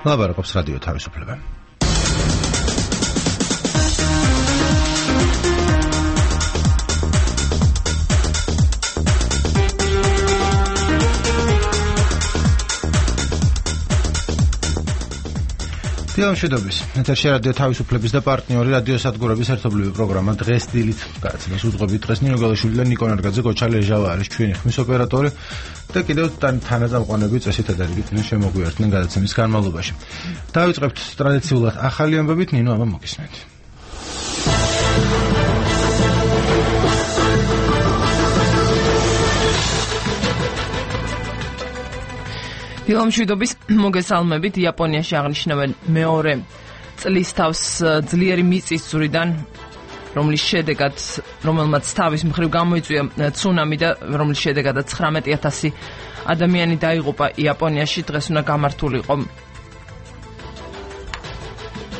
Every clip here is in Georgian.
ლაპარაკობს რადიო თავისუფლება. დილამშვიდობის. ეთერში რადიო თავისუფლების და პარტნიორი რადიო სადგურების ერთობლივი პროგრამა დღეს დილით გადაცემას უძღვებით. დღეს ნინო გალაშვილი და ნიკო ნარგაძე, გოჩალე ჟავა არის ჩვენი ხმის ოპერატორი და კიდევ თანაწამყვანები წესით ადარიგით შემოგვიერთდნენ გადაცემის განმავლობაში. დავიწყებთ ტრადიციულად ახალი ამბებით, ნინო აბა მოგისმენთ. დილამშვიდობის მოგესალმებით. იაპონიაში აღნიშნავენ მეორე წლის თავს ძლიერი მიწისძვრიდან, რომელმაც თავის მხრივ გამოიწვია ცუნამი და რომლის შედეგადაც 19,000 ადამიანი დაიღუპა იაპონიაში. დღეს უნდა გამართულიყო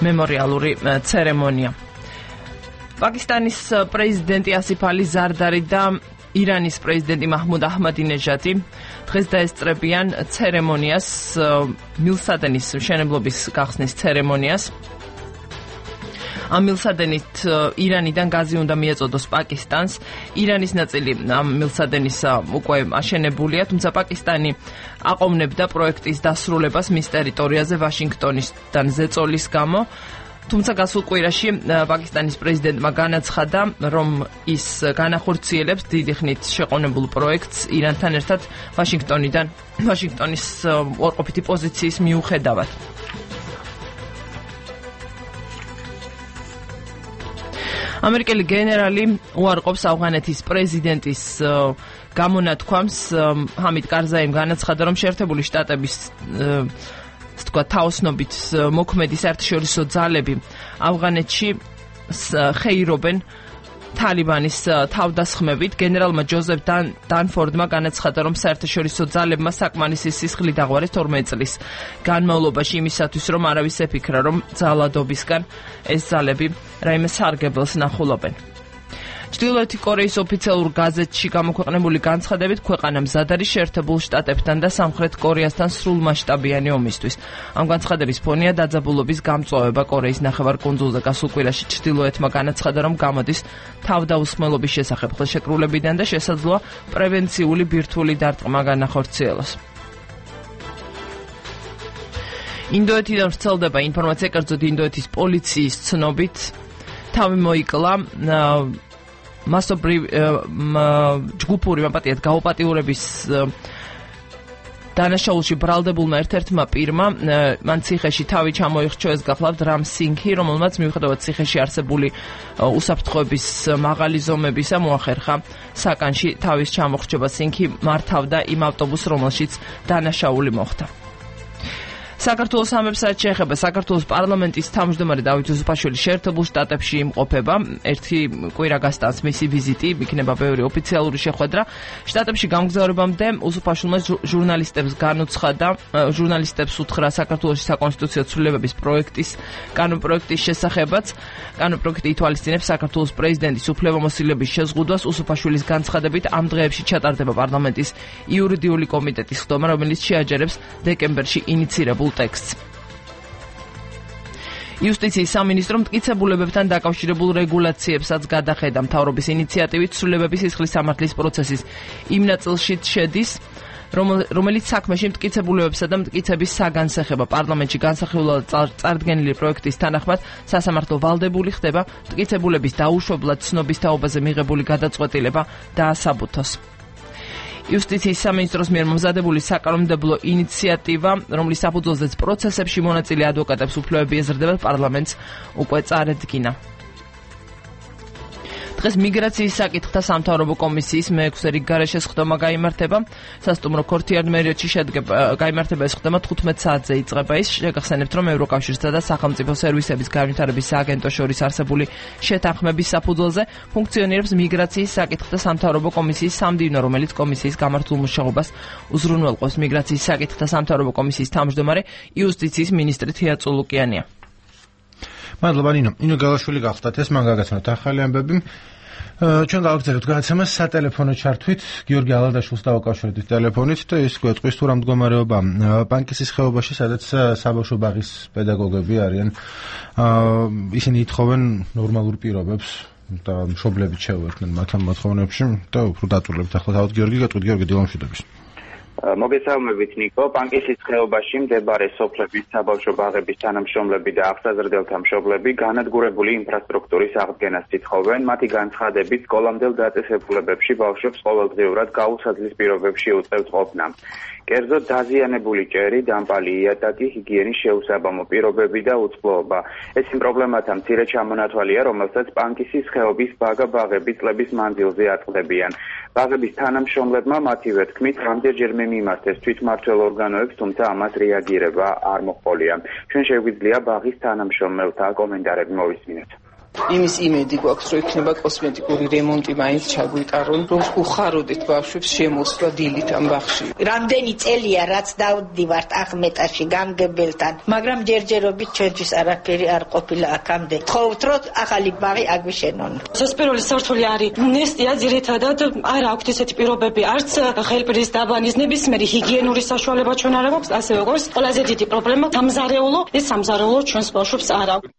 მემორიალური ცერემონია. პაკისტანის პრეზიდენტი ასიფ ალი ზარდარი და ირანის პრეზიდენტი მაჰმუდ აჰმადინეჟადი დღეს დაესწრებიან ცერემონიას, მილსადენის მშენებლობის გახსნის ცერემონიას. ამ მილსადენით ირანიდან გაზი უნდა მიეწოდოს პაკისტანს. ირანის ნაწილი ამ მილსადენის უკვე აშენებულია, თუმცა პაკისტანი აყოვნებდა პროექტის დასრულებას მის ტერიტორიაზე ვაშინგტონისთან ზეწოლის გამო. თუმცა გასულ კვირაში პაკისტანის პრეზიდენტმა განაცხადა, რომ ის განახორციელებს დიდი ხნით შეყოვნებულ პროექტს ირანთან ერთად ვაშინგტონის უარყოფითი პოზიციის მიუხედავად. ამერიკელი გენერალი უარყოფს ავღანეთის პრეზიდენტის გამონათქვამს. ჰამიდ კარზაიმ განაცხადა, რომ შეერთებული შტატების თაოსნობით მოქმედი საერთაშორისო ძალები ავღანეთში ხეირობენ თალიბანის თავდასხმებით. გენერალმა ჯოზეფ დანფორდმა განაცხადა, რომ საერთაშორისო ძალებმა საკმარისი სისხლი დაღვარეს 12 წლის განმავლობაში იმისათვის, რომ არავის ეფიქრა, რომ ძალადობისგან ეს ძალები რაიმე სარგებელს ნახულობენ. ჩრდილოეთი კორეის ოფიციალურ გაზეთში გამოქვეყნებული განცხადებით, ქვეყანა მზად არის შეერთებულ შტატებთან და სამხრეთ კორეასთან სრულმასშტაბიანი ომისთვის. ამ განცხადების ფონია დაძაბულობის გამწვავება კორეის ნახევარკუნძულზე. გასულ კვირაში ჩრდილოეთმა განაცხადა, რომ გამოდის თავდაუსხმელობის შესახებ ხელშეკრულებიდან და შესაძლოა პრევენციული ბირთვული დარტყმა განახორციელოს. ინდოეთიდან ვრცელდება ინფორმაცია, კერძოდ ინდოეთის პოლიციის ცნობით თავი მოიკლა ჯგუფური მაპატიეთ გაუპატიურების დანაშაულში ბრალდებულმა ერთ-ერთმა პირმა მან ციხეში თავი ჩამოიხრჩო. ეს გახლავთ რამ სინგჰი, რომელმაც მიუხედავად ციხეში არსებული უსაფრთხოების მაღალი ზომებისა მოახერხა საკანში თავის ჩამოხრჩობა. სინგჰი მართავდა იმ ავტობუსს, რომელშიც დანაშაული მოხდა. საქართველოს ამებსაც შეეხება. საქართველოს პარლამენტის თავმჯდომარე დავით უსუფაშვილი შეერთებულ შტატებში იმყოფება. ერთი კვირა გასტანს მისი ვიზიტი, იქნება ბევრი ოფიციალური შეხვედრა. შტატებში გამგზავრებამდე უსუფაშვილმა ჟურნალისტებს უთხრა საქართველოს საკონსტიტუციო ცვლილებების კანონპროექტის შესახებაც. კანონპროექტი ითვალისწინებს საქართველოს პრეზიდენტის უფლებამოსილების შეზღუდვას. უსუფაშვილის განცხადებით, ამ დღეებში ჩატარდება პარლამენტის იურიდიული კომიტეტის ხდომა, რომელიც შეაჯერებს დეკემბერში ინიცირებულ ტექსტს. იუსტიციის სამინისტრო მტკიცებულებებთან დაკავშირებულ რეგულაციებსაც გადახედა. მთავრობის ინიციატივით ცვლილებების სისხლის სამართლის პროცესის იმ ნაწილშიც შედის, რომელიც საქმეში მტკიცებულებებსა და მტკიცების საგანსახება. პარლამენტში განსახილველად წარდგენილი პროექტის თანახმად სასამართლო ვალდებული ხდება მტკიცებულების დაუშვებლად ცნობის თაობაზე მიღებული გადაწყვეტილება დაასაბუთოს. იუსტიციის სამინისტროს მიერ მომზადებული საკანონმდებლო ინიციატივა, რომლის საფუძველზეც პროცესებში მონაწილე ადვოკატებს უფლებები ეზრდებათ, პარლამენტს უკვე წარედგინა. დღეს მიგრაციის საკითხთა სამთავრობო კომისიის მე-6 რიგ გარეშე სხდომა გაიმართება. სასტუმრო ქორთიარ-მერიოტში გაიმართება ეს სხდომა 15 საათზე იწყება. ის შეგახსენებთ, რომ ევროკავშირსა და სახელმწიფო სერვისების განვითარების სააგენტოს შორის არსებული შეთანხმების საფუძველზე ფუნქციონირებს მიგრაციის საკითხთა სამთავრობო კომისიის სამდივნო, რომელიც კომისიის გამართულ მუშაობას უზრუნველყოფს. მიგრაციის საკითხთა სამთავრობო კომისიის თავმჯდომარე იუსტიციის მინისტრი თია წულუკიანია. მადლობა ნინო. ნინო გალაშვილი გახლდათ ეს, მან გაგაცნოთ ახალი ამბები. ჩვენ გავაგზავნებთ გადაცემას სატელეფონო ჩართვით გიორგი ალადაშვილს დავაკავშირეთ ტელეფონით და ის გვეტყვის თუ რა მდგომარეობა პანკისის ხეობაში, სადაც საბავშვო ბაღის პედაგოგები არიან. ისინი ითხოვენ ნორმალურ პირობებს და მშობლებით შეუერთდნენ მათ ამ მოთხოვნებში და უფრო დაწვრილებთ ახლა თავად გიორგი გეტყვით გიორგი დილამშვიდობის. მოგესალმებით ნიკო. პანკისის ხეობაში მდებარე სოფლების საბავშვო ბაღების თანამშრომლები და აღსაზრდელთა მშობლები განადგურებული ინფრასტრუქტურის აღდგენას ითხოვენ. მათი განცხადებით, სკოლამდელ დაწესებულებებში ბავშვებს ყოველდღიურად გაუსაძლის პირობებში უწევთ ყოფნა. კერძოდ დაზიანებული ჭერი, დამპალი იატაკი, ჰიგიენის შეუსაბამო პირობები და უწყლოობა. ეს იმ პრობლემათა მცირე ჩამონათვალია, რომელსაც პანკისის ხეობის ბაღები წლების მანძილზე აწყდებიან. ბაღების თანამშრომლებმა მათივე თქმით, რამდენჯერმე მიმართეს თვითმმართველ ორგანოებს, თუმცა ამას რეაგირება არ მოჰყოლია. ჩვენ შეგვიძლია ბაღის თანამშრომელთა კომენტარები მოვისმინოთ. იმის იმედი გვაქვს, რომ იქნება კოსმეტიკური რემონტი მაინც ჩაგვიტარონ, რომ უხაროდეთ ბავშვებს შემოსვლა დილით ამ ბაღში. რამდენი წელია რაც დავდივართ ახმეტაში გამგებელთან, მაგრამ ჯერჯერობით ჩვენთვის არაფერი არ ყოფილა აქამდე. თხოვთ, რომ ახალი ბაღი აგვიშენონ. სასპირული სართული არის ნესტია, ძირითადად არ აქვს ესეთი პირობები, არც ხელპრის დაბანის ნებისმიერი ჰიგიენური საშუალება ჩვენ არ აქვს, ასე როგორც ყველაზე დიდი პრობლემა სამზარეულო, ეს სამზარეულო ჩვენს ბავშვებს არ აქვს.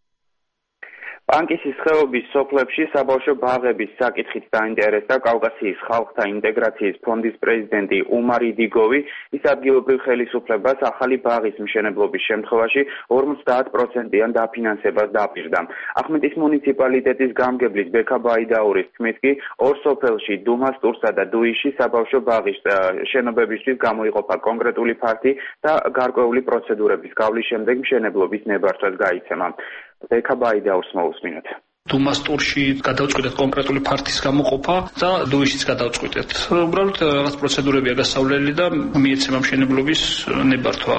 პანკისის ხეობის სოფლებში საბავშვო ბაღების საკითხით დაინტერესდა კავკასიის ხალხთა ინტეგრაციის ფონდის პრეზიდენტი უმარ იდიგოვი. ის ადგილობრივ ხელისუფლებას ახალი ბაღის მშენებლობის შემთხვევაში 50%-იან დაფინანსებას დაპირდა. ახმეტის მუნიციპალიტეტის გამგებლის ბექა ბაიდაურის თქმით კი, ორ სოფელში დუმასტურსა და დუიში საბავშვო ბაღის შენობებისთვის გამოიყოფა კონკრეტული ფარდი და გარკვეული პროცედურების გავლის შემდეგ მშენებლობის ნებართვას გაიცემა. ბექა ბაიდაურს მოვუსმინოთ. დუმასტურში გადავწყვიტეთ კონკრეტული ფარდის გამოყოფა და დუიშიც გადავწყვიტეთ. უბრალოდ რაღაც პროცედურებია გასავლელი და მიეცემა მშენებლობის ნებართვა.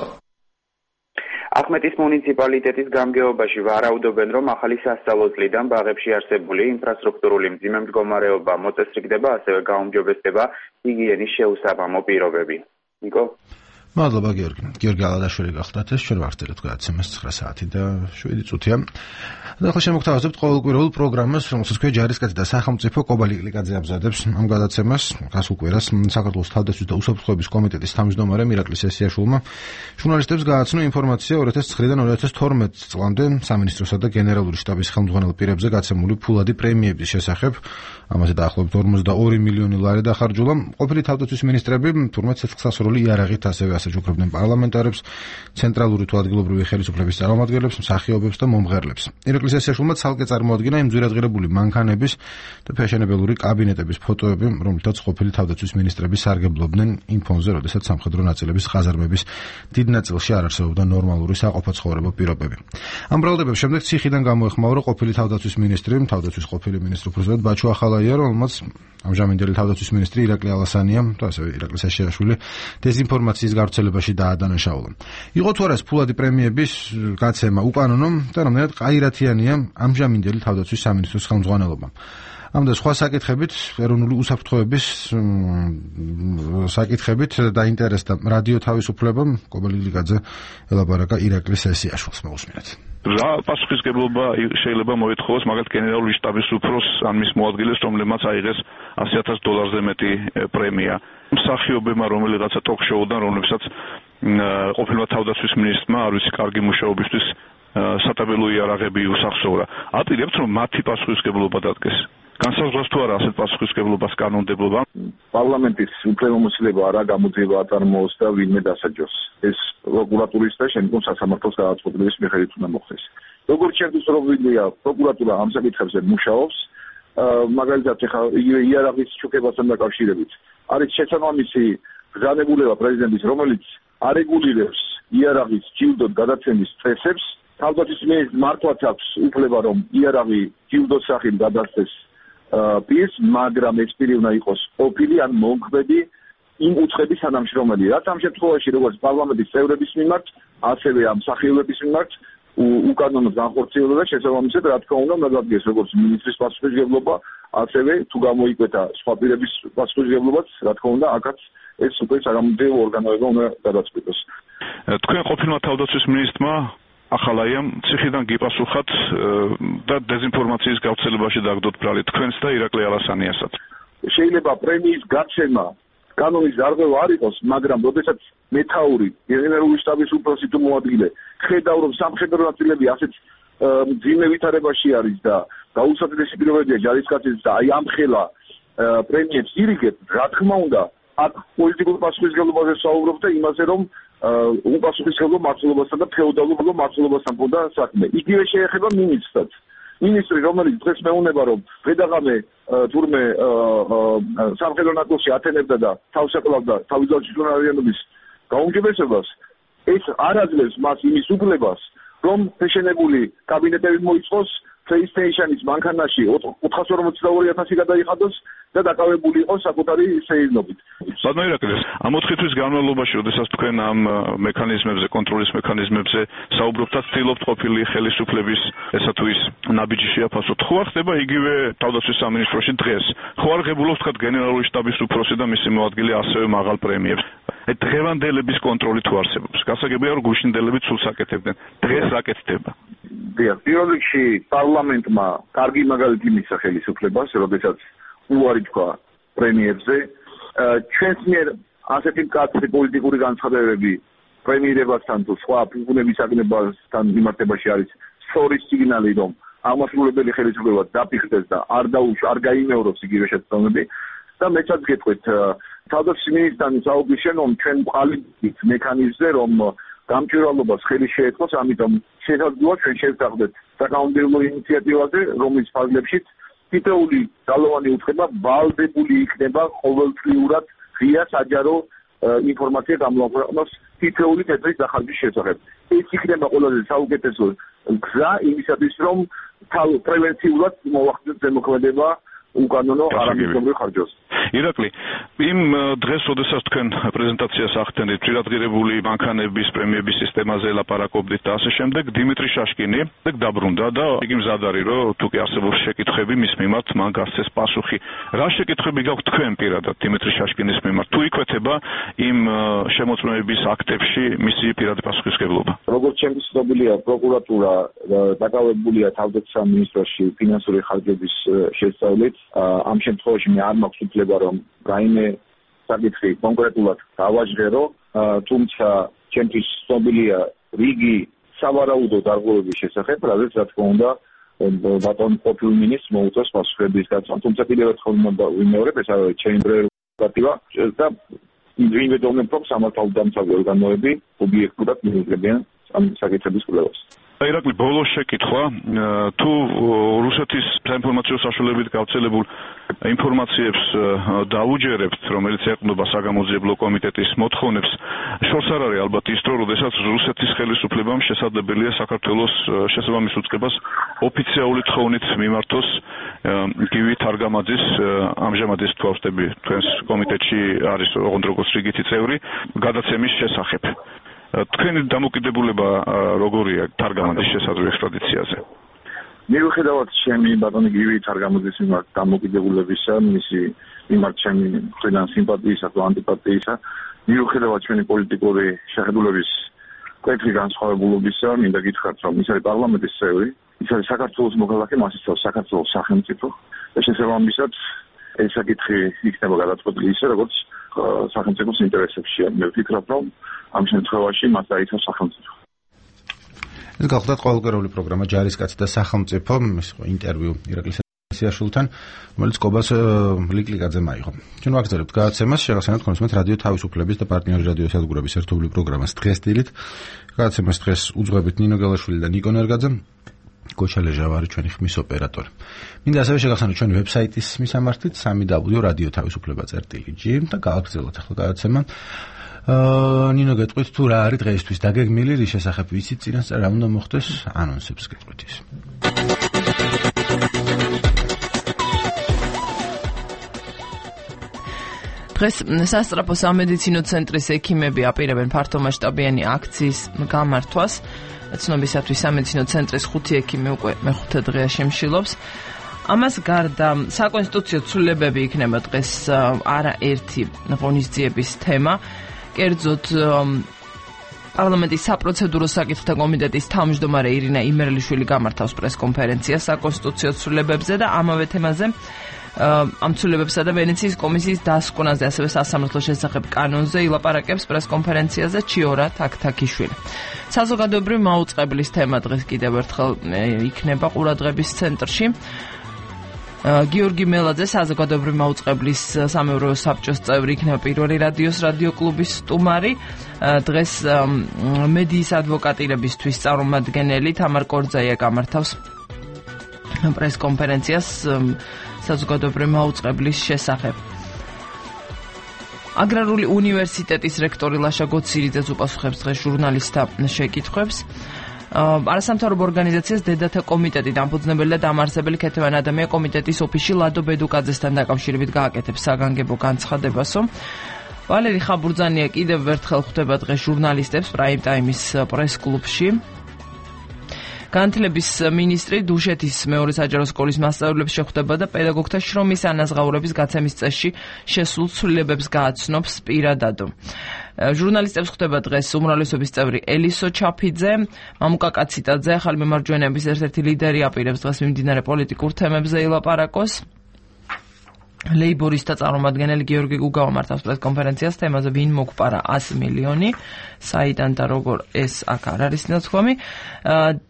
ახმეტის მუნიციპალიტეტის გამგეობაში ვარაუდობენ, რომ ახალი სასწავლო წლიდან ბაღებში არსებული ინფრასტრუქტურული მძიმე მდგომარეობა მოწესრიგდება, ასევე გაუმჯობესდება ჰიგიენის შეუსაბამო პირობები. ნიკო? მადლობა გიორგი. გიორგი ალადაშვილი გახლდათ ეს ჩვენ ვახდერეთ გადაცემას 9 საათი და 7 წუთია. და ახლა შემოგთავაზებთ ყოველკვირეულ პროგრამას, რომელსაც ქვია ჯარისკაცი და სახელმწიფო კობალი კლიკაძე ამზადებს. ამ გადაცემას გასულ კვირას საქართველოს თავდაცვის და უსაფრთხოების კომიტეტის თავმჯდომარე მირაკლი სესიაშვილმა ჟურნალისტებს გააცნო ინფორმაცია 2009-დან 2012 წლამდე სამინისტროსა და გენერალური შტაბის ხელმძღვანელ პირებზე გაცემული ფულადი პრემიების შესახებ. ამაზე დაახლოებით 42 მილიონი ლარი დახარჯულა. ყოფილი თავდაცვის მინისტრები თურმე ცეცხლსასროლი იარაღით ასევე ასაჯუქებდნენ პარლამენტარებს, ცენტრალური თუ ადგილობრივი ხელისუფლების წარმომადგენლებს, მსახიობებს და მომღერლებს. ირაკლი სესიაშვილმა ცალკე წარმოადგინა იმ ძვირადღირებული მანქანების და ფეშენებელური კაბინეტების ფოტოები, რომლითაც ყოფილი თავდაცვის მინისტრები სარგებლობდნენ იმ ფონზე, როდესაც სამხედრო ნაწილების ყაზარმების დიდ ნაწილში არ არსებობდა ნორმალური საყოფაცხოვრებო პირობები. ამ ბრალდებების შემდეგ ციხიდან გამოეხმაურა ყოფილი თავდაცვის მინისტრი, თავდაცვის ყოფილი მინისტრი უპრეზიდენტ ბაჩო ახალაია, რომელმაც ამჟამინდელი თავდაცვის მინისტრი ირაკლი ალასანია და ასევე ირაკლი სესიაშვილი დეზინფორმაციის გავრცელებაში დაადანაშაულა. იყო თუ არა ეს ფულადი პრემიების გაცემა უკანონო და რამდენად ყაირათიანია ამჟამინდელი თავდაცვის სამინისტროს ხელმძღვანელობა. ამ და სხვა საკითხებით, ეროვნული უსაფრთხოების საკითხებით დაინტერესდა რადიო თავისუფლებამ კობალი კლიკაძე ელაპარაკა ირაკლი სესიაშვილს მოვუსმინეთ. რა პასუხისგებლობა შეიძლება მოითხოვოს მაგალითად გენერალური შტაბის უფროს ან მის მოადგილეს, რომლებმაც აიღეს $100,000-ზე მეტი პრემია. მსახიობებმა რომელიღაცა ტოქ-შოუდან, რომლებსაც ყოფილმა თავდაცვის მინისტრმა არ ვიცი კარგი მუშაობისთვის სატაბელო იარაღები უსახსოვრა. აპირებთ რომ მათი პასუხისგებლობა დადგეს. განსაზღვრავს თუ არა ასეთ პასუხისგებლობას კანონმდებლობა? პარლამენტის უფლებამოსილება არა გამოძიება აწარმოოს და ვინმე დასაჯოს. ეს პროკურატურის და შემდგომ სასამართლოს გადაწყვეტილების მიხედვით უნდა მოხდეს. როგორც შეგვიძლია, პროკურატურა ამ საკითხებზე მუშაობს. მაგალითად, ეხლა იგივე იარაღის შუქებასთან დაკავშირებით არის შესაბამისი ბრძანებულება პრეზიდენტის, რომელიც არეგულირებს იარაღის ჯილდოდ გადაცემის წესებს. თავდაცვის მინისტრს მართლაც აქვს უფლება, რომ იარაღი ჯილდოს სახით გადასცეს პირს, მაგრამ ეს პირი უნდა იყოს ყოფილი ან მომხმედი იმ უცხების თანამშრომელი. რაც ამ შემთხვევაში როგორც პარლამენტის წევრების მიმართ, ასევე ამ მსახიობების მიმართ უკანონოდ განხორციელდა და შესაბამისად რა თქმა უნდა უნდა დადგეს როგორც მინისტრის პასუხისმგებლობა, ასევე თუ გამოიკვეთა სხვა პირების პასუხისმგებლობაც, რა თქმა უნდა, აქაც ეს უკვე საგამოძიებო ორგანოება უნდა გადაწყვიტოს. თქვენ ყოფილმა თავდაცვის მინისტრმა ახალაიამ ციხიდან გიპასუხათ და დეზინფორმაციის გავრცელებაში დაგდოთ ბრალი თქვენს და ირაკლი ალასანიასაც. შეიძლება პრემიის გაცემა კანონის დარღვევა არ იყოს, მაგრამ როდესაც მეთაური გენერალური შტაბის უფროსი თუ მოადგილე ხედავ რომ სამხედრო ნაწილები ასეთ მძიმე ვითარებაში არის და გაუსაძლებელია პირობებია ჯარისკაცებს და აი ამ ხელა პრემიებს ირიგებს, რა თქმა უნდა, აქ პოლიტიკურ პასუხისმგებლობაზე საუბრობ და იმაზე რომ უპასუხისმგებლო მმართველობასთან და ფეოდალურ მმართველობასთან პონდა საქმე. იგივე შეეხება მინისტრსაც. მინისტრი, რომელიც დღეს მეუნება რომ გადაღამე თურმე სამხედრო ნაწილში ათენებდა და თავს აკლავდა თავისუფლად ჯგუფის გაუმჯობესებას, ეს არ აძლევს მას იმის უფლებას, რომ შეშენებული კაბინეტები მოიწყოს, PlayStation-ის მანქანაში 442,000 გადაიხადოს და დაკავებული იყოს საკუთარი სეირნობით. ბატონო ირაკლი, ამ 4 თვის განმავლობაში, როდესაც თქვენ ამ მექანიზმებზე, კონტროლის მექანიზმებზე საუბრობთ და ცდილობთ ყოფილი ხელისუფლების ესა თუ ის ნაბიჯი შეაფასოთ, ხო არ ხდება იგივე თავდაცვის სამინისტროში დღეს? ხო არ ღებულობს თქვა გენერალური შტაბის უფროსი და მისი მოადგილე ასევე მაღალ პრემიებს? დღევანდელების კონტროლი თუ არსებობს? გასაგებია რომ გუშინდელები ცულს აკეთებდნენ. დღეს რა კეთდება? პირველ რიგში პარლამენტმა კარგი მაგალითი მისცა ხელისუფლებას, როდესაც უარი თქვა პრემიერებზე. ჩვენს მიერ ასეთი მკაცრი პოლიტიკური განცხადებები პრემიერებასთან თუ სხვა ფუნქციების აგნებასთან მიმართებაში არის სწორი სიგნალი, რომ აღმასრულებელი ხელისუფლება დაფიქრდეს და არ გაიმეორებს იგივე შეცდომები. და მეცაც გეტყვით, თავდაცვის მინისტრთან საუბრის შემდგომ ჩვენ ვყალიბდით მექანიზმზე, რომ გამჭვირვალობას ხელი შეეწყოს, ამიტომ შესაძლოა ჩვენ შევთანხმდეთ საკანონმდებლო ინიციატივაზე, რომლის ფარგლებშიც თითოეული ძალოვანი უწყება ვალდებული იქნება ყოველწლიურად ღია საჯარო ინფორმაცია გამოაქვეყნოს თითოეული თეთრის დახარჯვის შესახებ. ეს იქნება ყველაზე საუკეთესო გზა იმისათვის, რომ პრევენციულად მოახდინოს ზემოქმედება უკანონო არამისობრივ ხარჯზე. ირაკლი, იმ დღეს, როდესაც თქვენ პრეზენტაციას ახდენით, პირადღირებული მანქანების პრემიების სისტემაზე ლაპარაკობდით და ასე შემდეგ, დიმიტრი შაშკინი დაბრუნდა და იგი მზად არის, რომ თუ კი არსებობს შეკითხვები მის მიმართ, მან გასცეს პასუხი. რა შეკითხვები გაქვთ თქვენ პირადად დიმიტრი შაშკინის მიმართ? თუ იკვეთება იმ შემოწმების აქტებში მისი პირადი პასუხისმგებლობა? როგორც ჩემთვის ცნობილია, პროკურატურა დაკავებულია თავდაცვის სამინისტროში ფინანსური ხარჯების შესწავლით. ამ შემთხვევაში მე არ მაქვს უფლება რომ რაიმე საკითხი კონკრეტულად დავაჟღერო, თუმცა ჩემთვის ცნობილია რიგი სავარაუდო დარღვევების შესახებ, რადგან რა თქმა უნდა ბატონ ყოფილ მინისტრს მოუწევს პასუხების გაცემა, თუმცა კიდევ ერთხელ ვიმეორებ, ეს არის ჩემი პრეროგატივა და ვიმედოვნებ, რომ სამართალდამცავი ორგანოები ობიექტურად მიუძლებიან ამ საკითხების კვლევას. ირაკლი, ბოლოს შეკითხვა, თუ რუსეთის საინფორმაციო საშუალებით გავრცელებულ ინფორმაციებს დაუჯერებთ, რომელიც ეყრდნობა საგამოძიებლო კომიტეტის მოთხოვნებს, შორს არ არის ალბათ ის დრო, როდესაც რუსეთის ხელისუფლებამ შესაძლებელია საქართველოს შესაბამის უწყებას ოფიციალური თხოვნით მიმართოს გივი თარგამაძის, ამჟამად ის თვალსტები თქვენს კომიტეტში არის როგორც რიგითი წევრი, გადაცემის შესახებ. თქვენი დამოკიდებულება როგორია თარგამაძის შესაძლო ექსტრადიციაზე? მიუხედავად ჩემი ბატონი გივი თარგამაძის მიმართ დამოკიდებულებისა, მისი მიმართ ჩემი მხრიდან სიმპათიისა თუ ანტიპათიისა, მიუხედავად ჩვენი პოლიტიკური შეხედულების კვეთრი განსხვავებულობისა, მინდა გითხრათ, რომ ის არის პარლამენტის წევრი, ის არის საქართველოს მოქალაქე, მას იცავს საქართველოს სახელმწიფო და შესაბამისად ეს საკითხი იქნება გადაწყვეტილი ისე, როგორც სახელმწიფოს ინტერესებშია. მე ვფიქრობ, რომ ამ შემთხვევაში მას დაიცავს სახელმწიფო. ეს გახლდათ ყოველკვირეული პროგრამა ჯარისკაცი და სახელმწიფო, ეს იყო ინტერვიუ ირაკლი სიაშულთან, რომელიც კობას ლიკლიკაძემ აიღო. ჩვენ ვაგრძელებთ გადაცემას, შეგახსენებთ კონსუმენტ რადიო თავისუფლების და პარტნიორი რადიო სადგურების ერთობლივ პროგრამას დღეს დილით. გადაცემას დღეს უძღვებით ნინო გელაშვილი და ნიკო ნერგაძე. გოჩა ლეჟავარი ჩვენი ხმის ოპერატორი. მინდა ასევე შეგახსენოთ ჩვენი ვებსაიტის მისამართით www.radio tavisupleba.gi და გავაგრძელოთ ახლა გადაცემა. ნინო გეტყვით თუ რა არის დღეისთვის დაგეგმილი, რის შესახებ ვიცით წინასწარ რა უნდა მოხდეს, ანონსებს გეტყვით ის. დღეს სასწრაფო სამედიცინო ცენტრის ექიმები აპირებენ ფართომასშტაბიანი აქციის გამართვას. ცნობისათვის სამედიცინო ცენტრის 5 ექიმი უკვე მეხუთე დღეა შემშილობს. ამას გარდა საკონსტიტუციო ცვლილებები იქნება დღეს არაერთი ღონისძიების თემა. კერძოდ პარლამენტის საპროცედურო საკითხთა კომიტეტის თავმჯდომარე ირინა იმერლიშვილი გამართავს პრესკონფერენციას საკონსტიტუციო ცვლილებებზე და ამავე თემაზე ამ ცვლილებებსა და ვენეციის კომისიის დასკვნაზე, ასევე სასამართლოს შესახებ კანონზე ილაპარაკებს პრესკონფერენციაზე ჩიორა თაქთაქიშვილი. საზოგადოებრივი მაუწყებლის თემა დღეს კიდევ ერთხელ იქნება ყურადღების ცენტრში. გიორგი მელაძე, საზოგადოებრივი მაუწყებლის სამეურვეო საბჭოს წევრი, იქნება პირველი რადიოს რადიო კლუბის სტუმარი. დღეს მედიის ადვოკატირებისთვის წარმომადგენელი თამარ კორძაია გამართავს პრესკონფერენციას საზოგადოებრივი მაუწყებლის შესახებ. აგრარული უნივერსიტეტის რექტორი ლაშა გოცირიძე უპასუხებს დღეს ჟურნალისტთა შეკითხვებს. არასამთავრობო ორგანიზაციას დედათა კომიტეტი დამფუძნებელი და დამაარსებელი ქეთევან ადამია კომიტეტის ოფისში ლადო ბედუკაძესთან დაკავშირებით გააკეთებს საგანგებო განცხადებასო. ვალერი ხაბურძანია კიდევ ერთხელ ხვდება დღეს ჟურნალისტებს პრაიმ ტაიმის პრეს-კლუბში. განათლების მინისტრი დუშეთის მეორე საჯარო სკოლის მასწავლებლებს შეხვდება და პედაგოგთა შრომის ანაზღაურების გაცემის წესში შესულ ცვლილებებს გააცნობს პირადად. ჟურნალისტებს ხვდება დღეს უმრავლესობის წევრი ელისო ჩაფიძე, მამუკა კაციტაძე, ახალი მემარჯვენეების ერთ-ერთი ლიდერი აპირებს დღეს მიმდინარე პოლიტიკურ თემებზე ილაპარაკოს. ლეიბორისტთა წარმომადგენელი გიორგი გუგავა მართავს პრესკონფერენციას თემაზე ვინ მოგპარა 100 მილიონი, საიდან და როგორ ეს აქ არ არის ნაცვლი.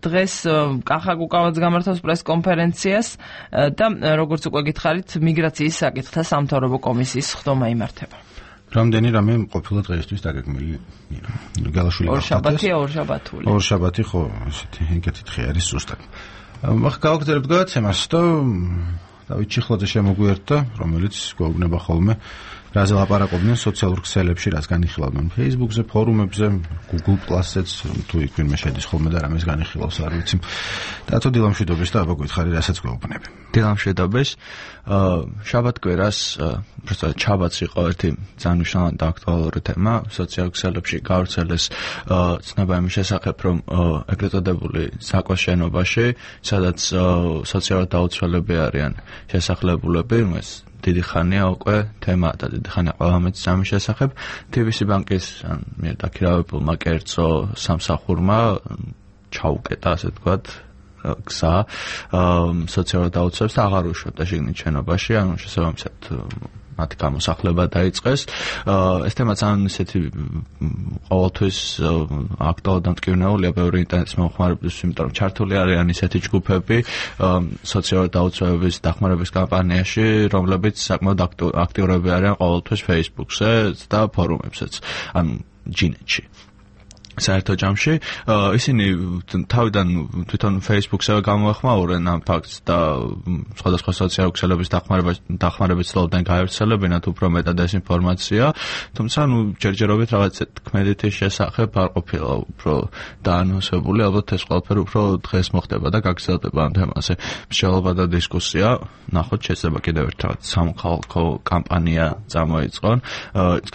დღეს კახა გუგავაც გამართავს პრესკონფერენციას და როგორც უკვე გითხარით, მიგრაციის საკითხთა სამთავრობო კომისიის ხდომა იმართება. რამდენი რამე ყოფილა დღეისთვის დაგეგმილი. გალაშვილი ორ შაბათია, ორ შაბათული. ორ შაბათი ხო, ესეთი ეგეთი თხე არის ზუსტად. ახლა გავაგრძელებთ გადაცემას და დავით ჩიხლაძე შემოგვიერთდა, რომელიც გვეუბნება ხოლმე რაზე ლაპარაკობდნენ სოციალურ ქსელებში, რაც განიხილავდნენ Facebook-ზე, ფორუმებზე, Google Plus-ზეც, თუ იქ ვინმე შედის ხოლმე და რამეს განიხილავს, არ ვიცი. დათო დილამშვიდობის და აბა გითხარი, რასაც გვეუბნები. დილამშვიდობის. შაბათ-კვირას, უბრალოდ შაბათს იყო ერთი ძალიან მნიშვნელოვანი და აქტუალური თემა სოციალურ ქსელებში გავრცელეს ცნობა იმის შესახებ, რომ ეგრეთ წოდებული საკვას შენობაში, სადაც სოციალურად დაუცველები არიან შესახლებულები, ეს დიდი ხანია უკვე თემა და დიდი ხანია ყველამეც ამის შესახებ. TBC ბანკის მიერ დაქირავებულმა კერძო სამსახურმა ჩაუკეტა, ასე ვთქვათ, გზა სოციალურად დაუცველებს და აღარ უშვებდა შიგნით შენობაში, ანუ შესაბამისად მათი გამოსახლება დაიწყეს. ეს თემა ძალიან ისეთი ყოველთვის აქტუალური და მტკივნეულია ბევრი ინტერნეტის მომხმარებლისთვის, იმიტომ რომ ჩართული არიან ისეთი ჯგუფები სოციალურად დაუცველების დახმარების კამპანიაში, რომლებიც საკმაოდ აქტიურები არიან ყოველთვის Facebook-ზე და ფორუმებზეც, ანუ ჯინეთში. საერთო ჯამში ისინი თავიდან თვითონ Facebook-ზე გამოეხმაურენ ამ ფაქტს და სხვადასხვა სოციალურ ქსელების დახმარებით ცდილობდნენ გაევრცელებინათ უფრო მეტად ეს ინფორმაცია, თუმცა ჯერჯერობით რაღაც თქმედით შესახებ არ ყოფილა უფრო დაანონსებული, ალბათ ეს ყველაფერი უფრო დღეს მოხდება და გაგრძელდება ამ თემაზე მსჯელობა და დისკუსია. ნახოთ, შეიძლება კიდევ ერთხელ სამოქალაქო კამპანია წამოიწყონ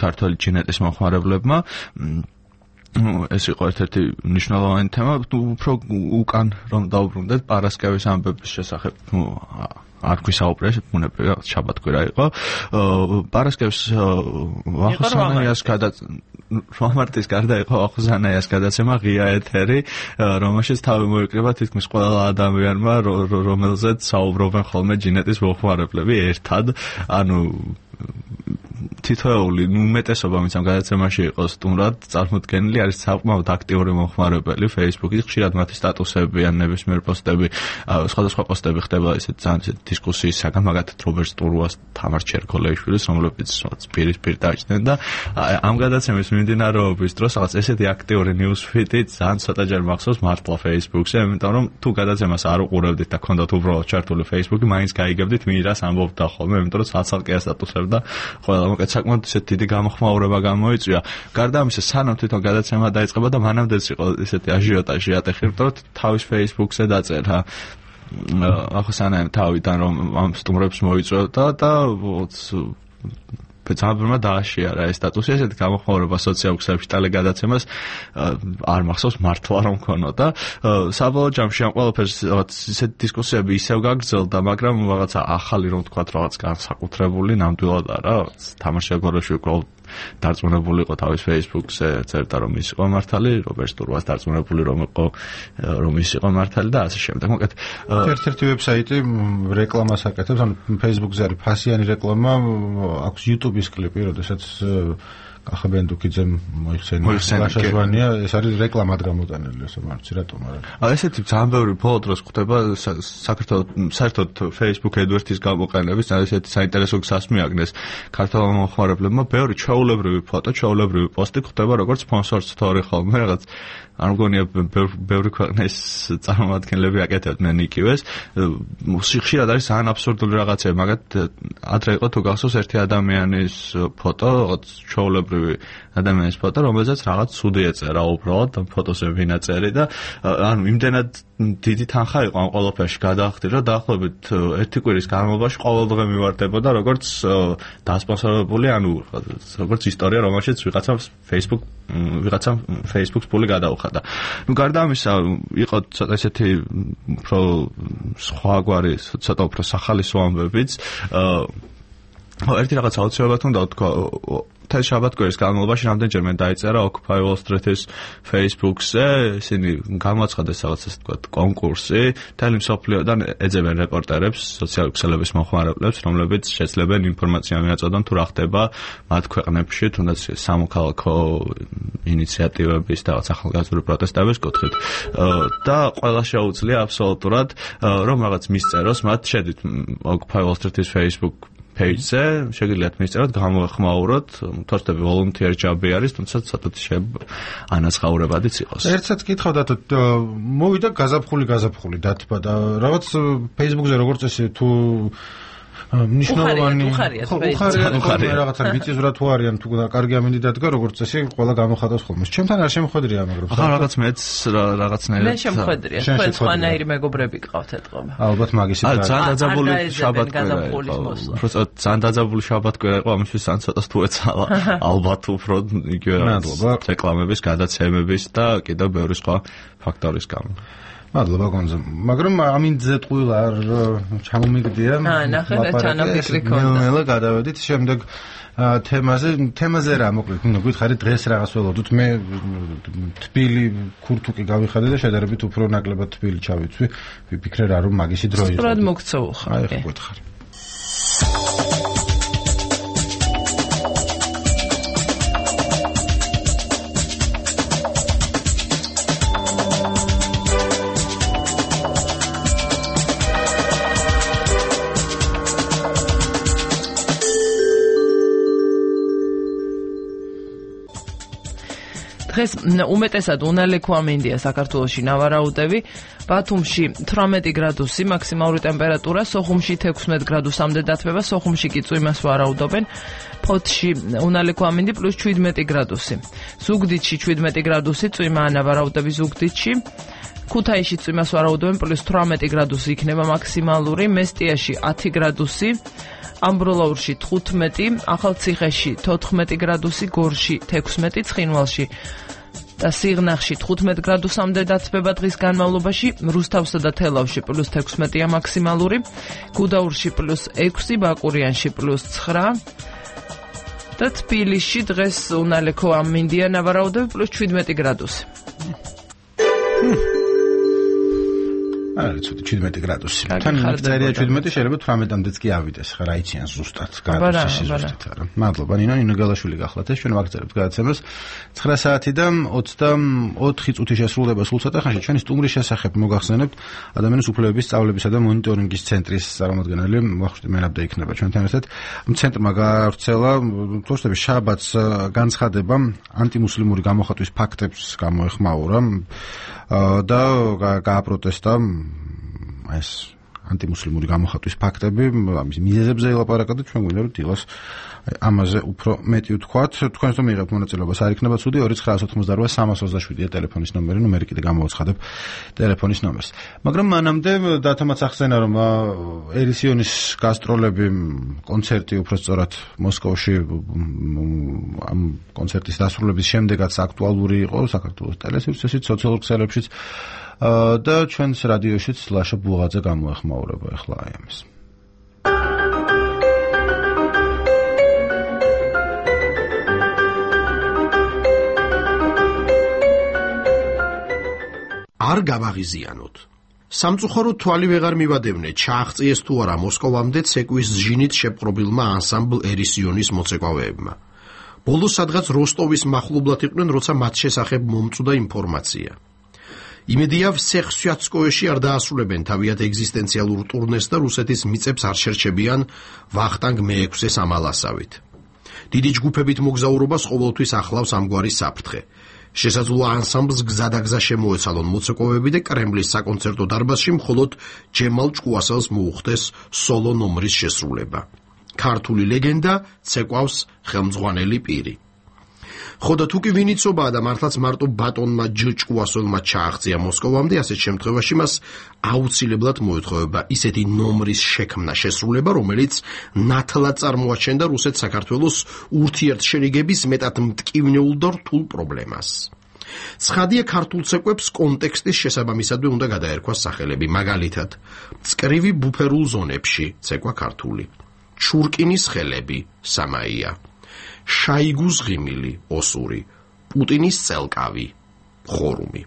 ქართული ჯინეტის მომხმარებლებმა. ეს იყო ერთ-ერთი მნიშვნელოვანი თემა, უფრო უკან რომ დაუბრუნდეთ პარასკევის ამბების შესახებ, არ გვისაუბრეს, ბუნებრივია შაბათ-კვირა იყო. პარასკევს ვახოსანაიას მარტის გარდა იყო ვახოსანაიას გადაცემა ღია ეთერი, რომელშიც თავი მოიკრიბა თითქმის ყველა ადამიანმა, რომელზეც საუბრობენ ხოლმე ჯინეტის მომხმარებლები ერთად, ანუ თითოეული უმეტესობა ვინც ამ გადაცემაში იყო სტუმრად წარმოდგენილი არის საკმაოდ აქტიური მომხმარებელი Facebook-ის, ხშირად მათი სტატუსები ან ნებისმიერ პოსტები, სხვადასხვა პოსტები ხდება ესეთ ძალიან დისკუსიის საგან, მაგათაც რობერტ სტურუას, თამარ ჩერქოლეიშვილის, რომლებიც პირისპირ დაიჭდნენ და ამ გადაცემის მიმდინარეობის დროს რაღაც ესეთი აქტიური ნიუსფიდი ძალიან ცოტაჯერ მახსოვს მართლა Facebook-ზე, იმიტომ რომ თუ გადაცემას არ უყურებდით და გქონდათ უბრალოდ ჩართული Facebook-ი, მაინც გაიგებდით მინირას ამბობდა ხოლმე, იმიტომ რომ ცალ-ცალკე სტატუსებდა ყველა, მოკეთ საკმაოდ ისეთი დიდი გამოხმაურება გამოიწვია. გარდა ამისა, სანამ თვითონ გადაცემა დაიწყება და მანამდეც იყო ესეთი აჟიოტაჟი ატეხი, რომ თავის Facebook-ზე დაწერა ახოსანაიამ თავიდან რომ ამ სტუმრებს მოიწვევდა და ძალიან დააშიარა ეს სტატუსი, ესეთი გამოხმაურება სოციალურ ქსელებში ტელეგადაცემას არ მახსოვს მართლა რომ ქონოდა. საბოლოო ჯამში ამ ყველაფერს ისეთი დისკუსიები ისევ გაგრძელდა, მაგრამ რაღაცა ახალი რომ თქვათ რაღაც განსაკუთრებული ნამდვილად არა, თამარ შეგოროშვილი დარწმუნებული იყო თავის Facebook-ზე, წერდა რომ ის იყო მართალი, რობერტ სტურვას დარწმუნებული რომ ის იყო მართალი და ასე შემდეგ. მოკლედ ერთ-ერთი ვებსაიტი რეკლამას აკეთებს, ანუ Facebook-ზე არის ფასიანი რეკლამა, აქვს YouTube-ის კლიპი, როდესაც ახაბენდუკიძემ მოიხსენია ლაშაშვანია, ეს არის რეკლამად გამოტანილი, ესე მარცი რატომ არა? ესეთი ძალიან ბევრი ბოლო დროს ხდება საქართველოს საერთოდ Facebook AdWords-ის გამოყენების, ესეთი საინტერესო გზას მიაგნეს ქართველ მომხმარებლებმა, ბევრი ჩვეულებრივი ფოტო, ჩვეულებრივი პოსტი ხდება როგორც sponsor story ხოლმე რაღაც არ მგონია ბევრი ქვეყნის წარმომადგენლები აკეთებდნენ იქივეს. ხშირად არის ძალიან აბსურდული რაღაცები, მაგათ ადრე იყო თუ გახსოვს ერთი ადამიანის ფოტო, რაღაც ჩვეულებრივი ადამიანის ფოტო, რომელზეც რაღაც ცუდი ეწერა უბრალოდ ფოტოზე ვინაწერი და ანუ იმდენად დიდი თანხა იყო ამ ყველაფერში გადაახდილი, რომ დაახლოებით ერთი კვირის განმავლობაში ყოველდღე მივარდებოდა როგორც დასპონსორებული, ანუ როგორც ისტორია, რომელშიც ვიღაცამ Facebook-ს ფული გადაუხადა. გარდა ამისა, იყო ცოტა ესეთი უფრო სხვაგვარი, ცოტა უფრო სახალისო ამბებიც. ერთი რაღაც აუცილებლად უნდა ვთქვა, მთელი შაბათ-კვირის განმავლობაში რამდენჯერმე დაიწერა Occupy Wall Street-ის Facebook-ზე, ისინი გამოაცხადეს რაღაც ასე ვთქვათ კონკურსი, მთელი მსოფლიოდან ეძებენ რეპორტერებს, სოციალური ქსელების მომხმარებლებს, რომლებიც შეძლებენ ინფორმაცია მიაწოდონ თუ რა ხდება მათ ქვეყნებში, თუნდაც სამოქალაქო ინიციატივების და რაღაც ახალგაზრდული პროტესტების კუთხით. და ყველა შეუძლია აბსოლუტურად რომ რაღაც მისწეროს, მათ შედით Occupy Wall Street-ის Facebook page-ზე, შეგიძლიათ მისწეროთ, გამოეხმაუროთ, თორსტები volunteer job-ი არის, თუმცა ცოტათი ანაცხაურებადიც იყოს. ერთსაც კითხავდათ, მოვიდა გაზაფხული დათბა და რაღაც Facebook-ზე როგორც ესე თუ ნიშნავანი უხარია რაღაცა მიწისვრა თუ არიან თუ კარგი ამინდი დადგა როგორც წესი ყველა გამოხატავს ხოლმე. ჩემთან არ შემოხვედრია მაგრამ ახლა რაღაც მეც რაღაცნაირად მე შემოხვედრია. თქვენ სხვანაირი მეგობრები გყავთ ეთყობა. ალბათ მაგისი ძალიან დაძაბული შაბათ-კვირა იყო. ძალიან დაძაბული შაბათ-კვირა იყო, ამისთვის ძალიან ცოტას თუ ეცალა. ალბათ უფრო იგივე რეკლამების, გადაცემების და კიდევ ბევრი სხვა ფაქტორის გამო. მადლობა გონზო. მაგრამ ამინდზე ტყუილა არ ჩამომიგდია. ნახე და ჩანაფიქრი ქონდა. ნელა გადავედით შემდეგ თემაზე რა მოკლედ გითხარი დღეს რაღაც ველოდოთ მე თბილი ქურთუკი გავიხადე და შედარებით უფრო ნაკლებად თბილი ჩავიცვი. ვიფიქრე რა რომ მაგისი დრო იყო. სწორად მოგწეულ ხარ. აი ხო გითხარი. დღეს უმეტესად უნალექო ამინდია საქართველოში ნავარაუდები, ბათუმში 18 გრადუსი მაქსიმალური ტემპერატურა, სოხუმში 16 გრადუსამდე დათბება, სოხუმში კი წვიმას ვარაუდობენ, ფოთში უნალექო ამინდი +17 გრადუსი, ზუგდიდში 17 გრადუსი, წვიმაა ნავარაუდები ზუგდიდში, ქუთაისში წვიმას ვარაუდობენ +18 გრადუსი იქნება მაქსიმალური, მესტიაში 10 გრადუსი, ამბროლაურში 15, ახალციხეში 14 გრადუსი, გორში 16, ცხინვალში და სიღნაღში 15 გრადუსამდე დათბება დღის განმავლობაში, რუსთავსა და თელავში +16-ია მაქსიმალური, გუდაურში +6, ბაკურიანში +9 და თბილისში დღეს უნალექო ამინდია ნავარაუდები +17 გრადუსი. არის 17 გრადუსი. თან წერია 17, შეიძლება 18-მდეც კი ავიდეს, ხა რა იციან ზუსტად გრადუსის ზუსტად არა. მადლობა ნინო გელაშვილი გახლათ ეს ჩვენ ვაგრძელებთ გადაცემას 9 საათი და 24 წუთი შესრულდება სულ ცოტა ხანში. ჩვენი სტუმრის შესახებ მოგახსენებთ ადამიანის უფლებების სწავლებისა და მონიტორინგის ცენტრის წარმომადგენელი ვახუშტი მენაბდა იქნება ჩვენთან ერთად. ცენტრმა გაავრცელა თორსტების შაბათს განცხადება ანტიმუსლიმური გამოხატვის ფაქტებს გამოეხმაურა და გააპროტესტა ეს ანტიმუსლიმური გამოხატვის ფაქტები, ამის მიზეზებზე ელაპარაკა და ჩვენ გვინდა რომ დილას ამაზე უფრო მეტი ვთქვათ. თქვენს რომ მიიღებთ მონაწილეობას არ იქნება ცუდი 2988-327-ია ტელეფონის ნომერი, ნუ კიდე გამოვაცხადებ ტელეფონის ნომერს. მაგრამ მანამდე დათომაც ახსენა რომ ერისიონის გასტროლები, კონცერტი უფრო სწორად მოსკოვში ამ კონცერტის დასრულების შემდეგაც აქტუალური იყო საქართველოს ტელესურსით, სოციალურ ქსელებშიც და ჩვენს რადიოშიც ლაშა ბუღაძე გამოეხმაურება ახლა აი ამის. არ გავაღიზიანოთ. სამწუხაროდ თვალი ვეღარ მივადევნე, ჩააღწიეს თუ არა მოსკოვამდე ცეკვის ჟინით შეპყრობილმა ანსამბლ ერისიონის მოცეკვავეებმა. ბოლოს სადღაც როსტოვის მახლობლად იყვნენ, როცა მათ შესახებ მომწვდა ინფორმაცია. იმედია ვსეხსვიაცკოეში არ დაასრულებენ თავიანთ ეგზისტენციალურ ტურნეს და რუსეთის მიწებს არ შერჩებიან ვახტანგ მე-6-ის ამალასავით. დიდი ჯგუფებით მოგზაურობას ყოველთვის ახლავს ამგვარი საფრთხე. შესაძლოა ანსამბლს გზადაგზა შემოეცალონ მოცეკვავეები და კრემლის საკონცერტო დარბაზში მხოლოდ ჯემალ ჭკუასელს მოუხდეს სოლო ნომრის შესრულება. ქართული ლეგენდა ცეკვავს ხელმძღვანელი პირი. ხოდა თუ კი ვინ იცობაა და მართლაც მარტო ბატონმა ჭკუასელმა ჩააღწია მოსკოვამდე, ასეთ შემთხვევაში მას აუცილებლად მოეთხოვება ისეთი ნომრის შექმნა შესრულება, რომელიც ნათლად წარმოაჩენდა რუსეთ-საქართველოს ურთიერთშერიგების მეტად მტკივნეულ და რთულ პრობლემას. ცხადია, ქართულ ცეკვებს კონტექსტის შესაბამისადვე უნდა გადაერქვას სახელები, მაგალითად, წკრივი ბუფერულ ზონებში ცეკვა ქართული, ჩურკინის ხელები სამაია, შაიგუს ღიმილი ოსური, პუტინის წელკავი ხორუმი.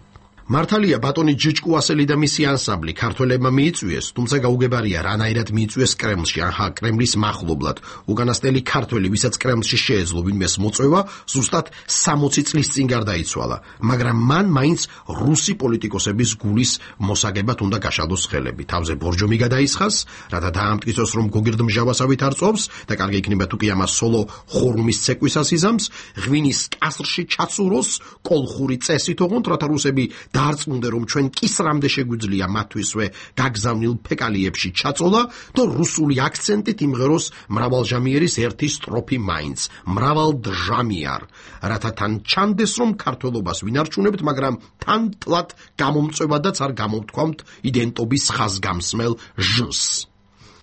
მართალია ბატონი ჭკუასელი და მისი ანსამბლი ქართველებმა მიიწვიეს, თუმცა გაუგებარია რანაირად მიიწვიეს კრემლში, ან კრემლის მახლობლად. უკანასკნელი ქართველი, ვისაც კრემლში შეეძლო ვინმეს მოწვევა, ზუსტად 60 წლის წინ გარდაიცვალა, მაგრამ მან მაინც რუსი პოლიტიკოსების გულის მოსაგებად უნდა გაშალოს ხელები. თავზე ბორჯომი გადაისხას, რათა დაამტკიცოს, რომ გოგირდმჟავასავით არ წობს და კარგი იქნება თუ კი ამას სოლო ხორუმის ცეკვისას იზამს, ღვინის კასრში ჩაცუროს, კოლხური წესით ოღონდ, რათა რუსები დაარწმუნდე, რომ ჩვენ კისრამდე შეგვიძლია მათთვისვე გაგზავნილ ფეკალიებში ჩაწოლა და რუსული აქცენტით იმღეროს მრავალჟამიერის ერთი სტროფი მაინც, მრავალდჟამიარ, რათა თან ჩანდეს, რომ ქართველობას ვინარჩუნებთ, მაგრამ თან ტლად გამომწვევადაც არ გამოვთქვამთ იდენტობის ხაზგამსმელ ჟს.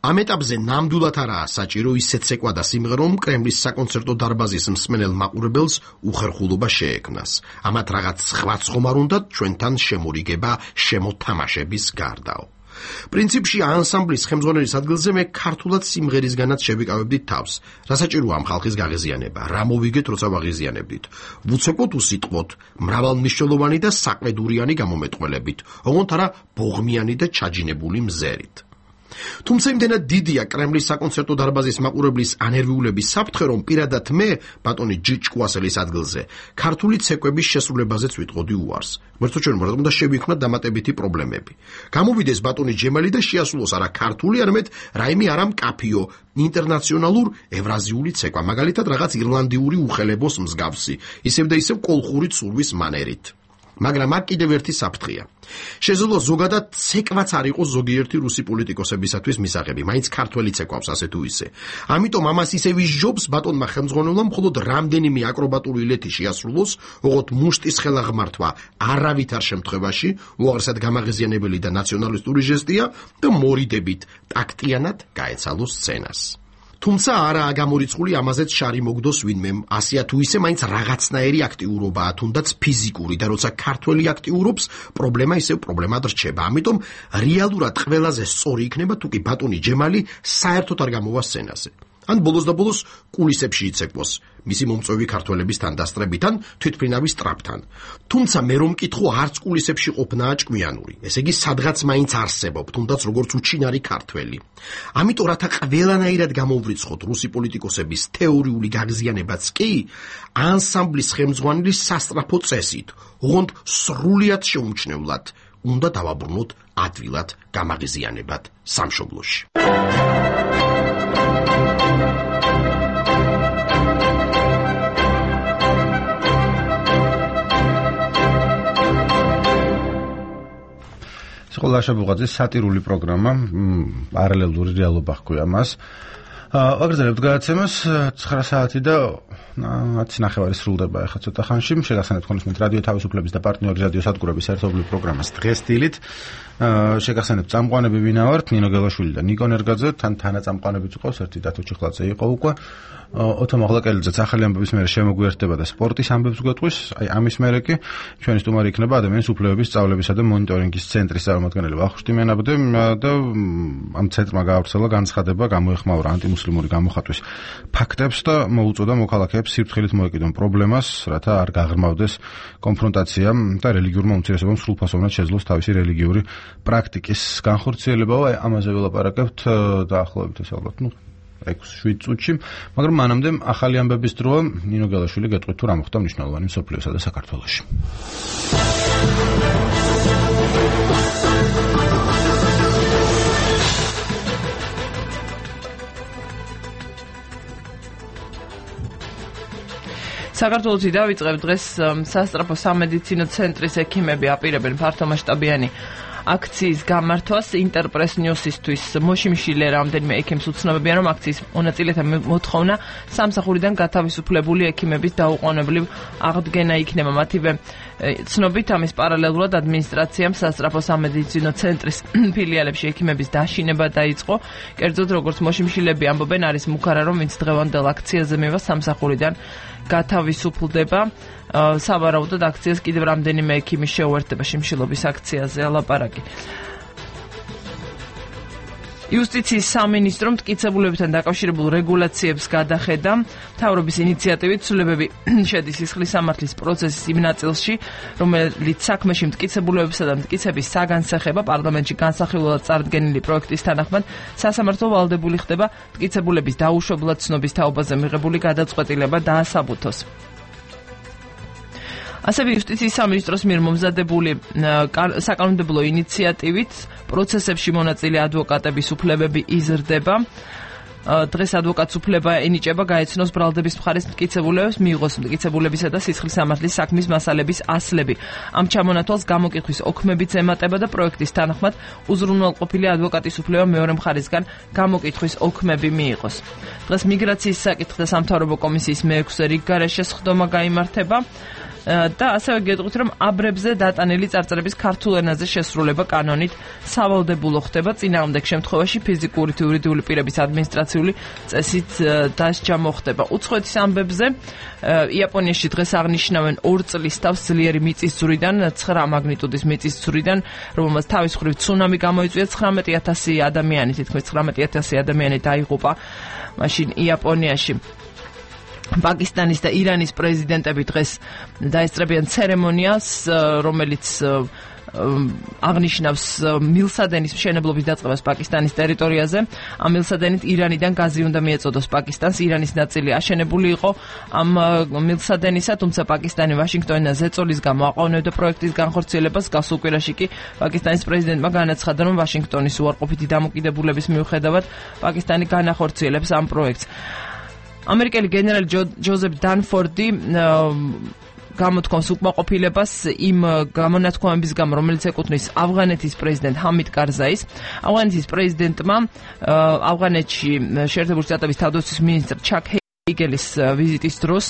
ამ ეტაპზე ნამდვილად არაა საჭირო ისეთ ცეკვა და სიმღერა, რომ კრემლის საკონცერტო დარბაზის მსმენელ მაყურებელს უხერხულობა შეექმნას. ამათ რაღაც სხვა ხომარ უნდათ ჩვენთან შემორიგება შემოთამაშების გარდაო. პრინციპში ანსამბლის ხელმძღვანელის ადგილზე მე ქართულად სიმღერისგანაც შევიკავებდით თავს. რა საჭიროა ამ ხალხის გაღიზიანება? რა მოვიგეთ, როცა ვაღიზიანებდით? ვუცეკოთ უსიტყვოთ, მრავალმნიშვნელოვანი და საყედურიანი გამომეტყველებით, ოღონდ არა ბოღმიანი და ჩაჯინებული მზერით. თუმცა იმდენად დიდია კრემლის საკონცერტო დარბაზის მაყურებლის ანერვიულების საფრთხე, რომ პირადად მე, ბატონი ჭკუასელის ადგილზე, ქართული ცეკვების შესრულებაზეც ვიტყოდი უარს. ღმერთო ჩვენ რა უნდა შევიქმნათ დამატებითი პრობლემები. გამოვიდეს ბატონი ჯემალი და შეასრულოს არა ქართული, არამედ რაიმე არა მკაფიო, ინტერნაციონალურ ევრაზიული ცეკვა, მაგალითად რაღაც ირლანდიური უხელებოს მსგავსი, ისევ და ისევ კოლხური ცურვის მანერით. მაგრამ აქ კიდევ ერთი საფრთხეა. შესაძლოა ზოგადად ცეკვაც არ იყოს ზოგიერთი რუსი პოლიტიკოსებისათვის მისაღები, მაინც ქართველი ცეკვავს ასე თუ ისე. ამიტომ ამას ისევ ისჯობს ბატონმა ხელმძღვანელმა მხოლოდ რამდენიმე აკრობატული ილეთი შეასრულოს, ოღონდ მუშტის ხელაღმართვა არავითარ შემთხვევაში უაღრესად გამაღიზიანებელი და ნაციონალისტური ჟესტია და მორიდებით ტაქტიანად გაეცალოს სცენას. თუმცა არაა გამორიცხული ამაზეც შარი მოგდოს ვინმემ, ასეა თუ ისე მაინც რაღაცნაირი აქტიურობაა, თუნდაც ფიზიკური და როცა ქართველი აქტიურობს, პრობლემა ისევ პრობლემად რჩება. ამიტომ რეალურად ყველაზე სწორი იქნება თუ კი ბატონი ჯემალი საერთოდ არ გამოვა სცენაზე. ან ბოლოს და ბოლოს კულისებში იცეკვოს, მისი მომწვევი ქართველების თანდასწრებიდან, თვითმფრინავის ტრაპთან. თუმცა მე რომ მკითხო, არც კულისებში ყოფნაა ჭკვიანური. ესე იგი, სადღაც მაინც არსებობ, თუნდაც როგორც უჩინარი ქართველი. ამიტომ რათა ყველანაირად გამოვრიცხოთ რუსი პოლიტიკოსების თეორიული გაღიზიანებაც კი, ანსამბლის ხელმძღვანელის სასწრაფო წესით, ოღონდ სრულიად შეუმჩნევლად უნდა დავაბრუნოთ ადვილად გამაღიზიანებად სამშობლოში. სკოლაში ბუღაძის სატირული პროგრამა, პარალელური რეალობა ჰქვია მას. აგრძელებთ გადაცემას 9 საათი და 10 ნახევარი სრულდება ახლა ცოტა ხანში. შეგახსენებთ ხონისმეთ რადიო თავისუფლების და პარტნიორი რადიო სადგურების ერთობლივ პროგრამას დღესდილით. შეგახსენებთ წამყვანები ვინა ვართ, ნინო გელაშვილი და ნიკო ნერგაძე, თან თანაწამყვანებიც ყავს, ერთი დათო ჩიხლაძე იყო უკვე. ოთო მაღლაკელიძეც ახალი ამბების მერე შემოგვიერთდება და სპორტის ამბებს გვეტყვის. აი ამის მერე კი ჩვენი სტუმარი იქნება ადამიანის უფლებების სწავლებისა და მონიტორინგის ცენტრის წარმომადგენელი ვახუშტიმიანაბდე და ამ ცენტრმა გაავრცელა განცხადება, გამოეხმაურა ანტიმუსლიმური გამოხატვის ფაქტებს და მოუწოდა მოქალაქეებს ფეხებს სიფრთხილით მოეკიდონ პრობლემას, რათა არ გაღრმავდეს კონფრონტაცია და რელიგიურმა უმცირესობამ სრულფასოვნად შეძლოს თავისი რელიგიური პრაქტიკის განხორციელება. ამაზე ველაპარაკებთ დაახლოებით ეს ალბათ 6-7 წუთში, მაგრამ მანამდე ახალი ამბების დროა. ნინო გელაშვილი გეტყვით თუ რა მოხდა მნიშვნელოვანი მსოფლიოსა და საქართველოში. საქართველოში დავიწყებ დღეს სასწრაფო სამედიცინო ცენტრის ექიმები აპირებენ ფართომასშტაბიანი აქციის გამართვას ინტერპრეს ნიუსისთვის. მოშიმშილე რამდენიმე ექიმს უცნობებიან, რომ აქციის მონაწილეთა მოთხოვნა სამსახურიდან გათავისუფლებული ექიმების დაუყოვნებლივ აღდგენა იქნება. მათივე ცნობით ამის პარალელურად ადმინისტრაციამ სასწრაფო სამედიცინო ცენტრის ფილიალებში ექიმების დაშინება დაიწყო. კერძოდ, როგორც მოშიმშილები ამბობენ, არის მუქარა, რომ ვინც დღევანდელ აქციაზე მივა სამსახურიდან გათავისუფლდება. სავარაუდოდ აქციას კიდევ რამდენიმე ექიმი შეუერთდება შიმშილობის აქციაზე ალაპარაკი. იუსტიციის სამინისტრომ მტკიცებულებებთან დაკავშირებულ რეგულაციებს გადახედა. მთავრობის ინიციატივით ცვლილებები შედის სისხლის სამართლის პროცესის იმ ნაწილში, რომელიც საქმეში მტკიცებულებებსა და მტკიცების საგანსახება პარლამენტში განსახილველად წარდგენილი პროექტის თანახმად სასამართლო ვალდებული ხდება მტკიცებულების დაუშვებლად ცნობის თაობაზე მიღებული გადაწყვეტილება დაასაბუთოს. ასევე იუსტიციის სამინისტროს მიერ მომზადებული საკანონმდებლო ინიციატივით პროცესებში მონაწილე ადვოკატების უფლებები იზრდება. დღეს ადვოკატს უფლება ენიჭება გაეცნოს ბრალდების მხარეს მტკიცებულებებს, მიიღოს მტკიცებულებისა და სისხლის სამართლის საქმის მასალების ასლები. ამ ჩამონათვალს გამოკითხვის ოქმებიც ემატება და პროექტის თანახმად უზრუნველყოფილი ადვოკატის უფლება მეორე მხარისგან გამოკითხვის ოქმები მიიღოს. დღეს მიგრაციის საკითხთა სამთავრობო კომისიის მე-6 რიგგარეშე სხდომა გაიმართება. და ასევე გეტყვით, რომ აბრებზე დატანილი წარწერების ქართულ ენაზე შესრულება კანონით სავალდებულო ხდება. წინააღმდეგ შემთხვევაში ფიზიკური თუ იურიდიული პირების ადმინისტრაციული წესით დასჯა მოხდება. უცხოეთის ამბებზე იაპონიაში დღეს აღნიშნავენ 2 წლის თავს ძლიერი მიწისძვრიდან, 9 მაგნიტუდის მიწისძვრიდან, რომელმაც თავის მხრივ ცუნამი გამოიწვია. 19,000 ადამიანი, თითქმის 19,000 ადამიანი დაიღუპა მაშინ იაპონიაში. პაკისტანის და ირანის პრეზიდენტები დღეს დაესწრებიან ცერემონიას, რომელიც აღნიშნავს მილსადენის მშენებლობის დაწყებას პაკისტანის ტერიტორიაზე. ამ მილსადენით ირანიდან გაზი უნდა მიეწოდოს პაკისტანს. ირანის ნაწილი აშენებული იყო ამ მილსადენისა, თუმცა პაკისტანი ვაშინგტონიდან ზეწოლის გამო აყოვნებდა პროექტის განხორციელებას. გასულ კვირაში კი პაკისტანის პრეზიდენტმა განაცხადა, რომ ვაშინგტონის უარყოფითი დამოკიდებულების მიუხედავად პაკისტანი განახორციელებს ამ პროექტს. ამერიკელი გენერალი ჯოზეფ დანფორდი გამოთქვამს უკმაყოფილებას იმ გამონათქვამების გამო, რომელიც ეკუთვნის ავღანეთის პრეზიდენტ ჰამიდ კარზაის. ავღანეთის პრეზიდენტმა ავღანეთში შეერთებული შტატების თავდაცვის მინისტრ ჩაკ იგელის ვიზიტის დროს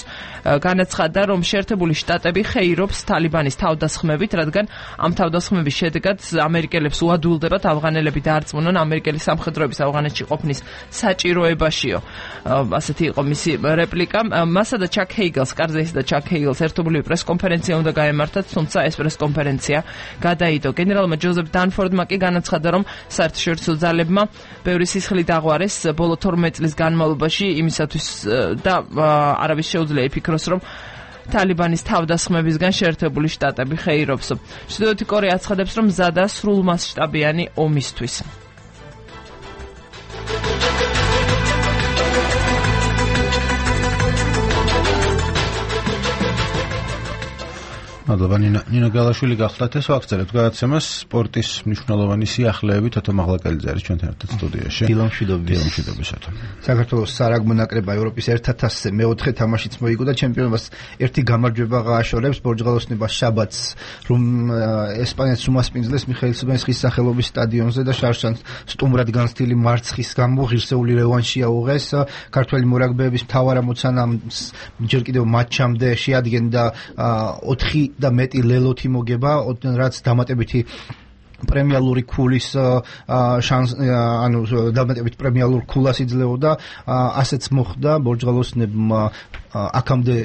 განაცხადა, რომ შეერთებული შტატები ხეირობს თალიბანის თავდასხმებით, რადგან ამ თავდასხმების შედეგად ამერიკელებს უადვილდებათ ავღანელები დაარწმუნონ ამერიკელი სამხედროების ავღანეთში ყოფნის საჭიროებაშიო. ასეთი იყო მისი რეპლიკა. მასა და ჩაკ ჰეიგელს, კარზაისა და ჩაკ ჰეიგელს ერთობლივი პრესკონფერენცია უნდა გაემართათ, თუმცა ეს პრესკონფერენცია გადაიდო. გენერალმა ჯოზეფ დანფორდმა კი განაცხადა, რომ საერთაშორისო ძალებმა ბევრი სისხლი დაღვარეს ბოლო 12 წლის განმავლობაში იმისათვის და არავის შეუძლია იფიქროს, რომ თალიბანის თავდასხმებისგან შეერთებული შტატები ხეირობს. ჩრდილოეთი კორეა აცხადებს, რომ მზადაა სრულმასშტაბიანი ომისთვის. მადლობა ნინო გალაშვილი გახლდათ ეს ვაგრძელებთ გადაცემას სპორტის მნიშვნელოვანი სიახლეები თოთო მაღლაკელიძე არის ჩვენთან ერთად სტუდიაში. დილამშვიდობისათვის. საქართველოს სარაგბო ნაკრებმა ევროპის 1000-ზე მეოთხე თამაშიც მოიგო და ჩემპიონობას ერთი გამარჯვება გააშორებს ბორჯღალოსნებას შაბათს, რომ ესპანეთს უმასპინძლეს მიხეილ ციბანსკის სახელობის სტადიონზე და შარშან სტუმრად განცდილი მარცხის გამო ღირსეული რევანში აუღეს. ქართველი მორაგბეების მთავარ ამოცანას ჯერ კიდევ მატჩამდე შეადგენდა 4 და მეტი ლელოთი მოგება, რაც დამატებითი პრემიალური ქულის ანუ დამატებით პრემიალურ ქულას იძლეოდა ასეც მოხდა ბორჯღალოსნებმა აქამდე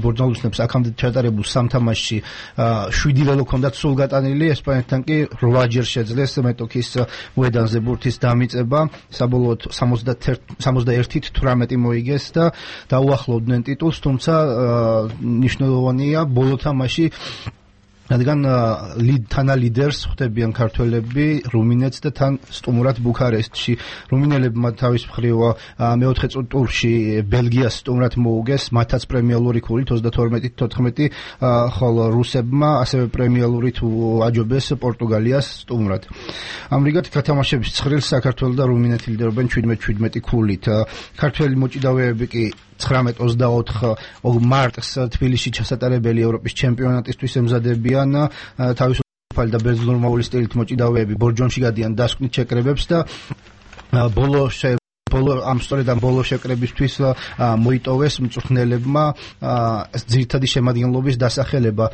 ბორჯღალოსნებს აქამდე ჩატარებულ სამ თამაშში 7 ველო ჰქონდათ სულ გატანილი ესპანეთთან კი 8 ჯერ შეძლეს მეტოქის მოედანზე ბურთის დამიწება საბოლოოდ 71-18 მოიგეს და დაუახლოვდნენ ტიტულს თუმცა ნიშნულოვანია ბოლო თამაში რადგან თანა ლიდერს ხვდებიან ქართველები რუმინეთს და თან სტუმრად ბუქარესტში რუმინელებმა თავის მხრივ მეოთხე ტურში ბელგიას სტუმრად მოუგეს მათაც პრემიალური ქულით 32-14 ხოლო რუსებმა ასევე პრემიალური თუ აჯობეს პორტუგალიას სტუმრად ამრიგად გათამაშების ცხრილს საქართველო და რუმინეთი ლიდერობენ 17-17 ქულით ქართველი მოჭიდავეები კი 19-24 მარტს თბილისში ჩასატარებელი ევროპის ჩემპიონატისთვის ემზადებიან თავისუფალი და ბერძნულ-რომაული სტილით მოჭიდავეები ბორჯომში გადიან დასკვნით შეკრებებს და ბოლო შეკრებისთვის მოიტოვეს მწვრთნელებმა ძირითადი შემადგენლობის დასახელება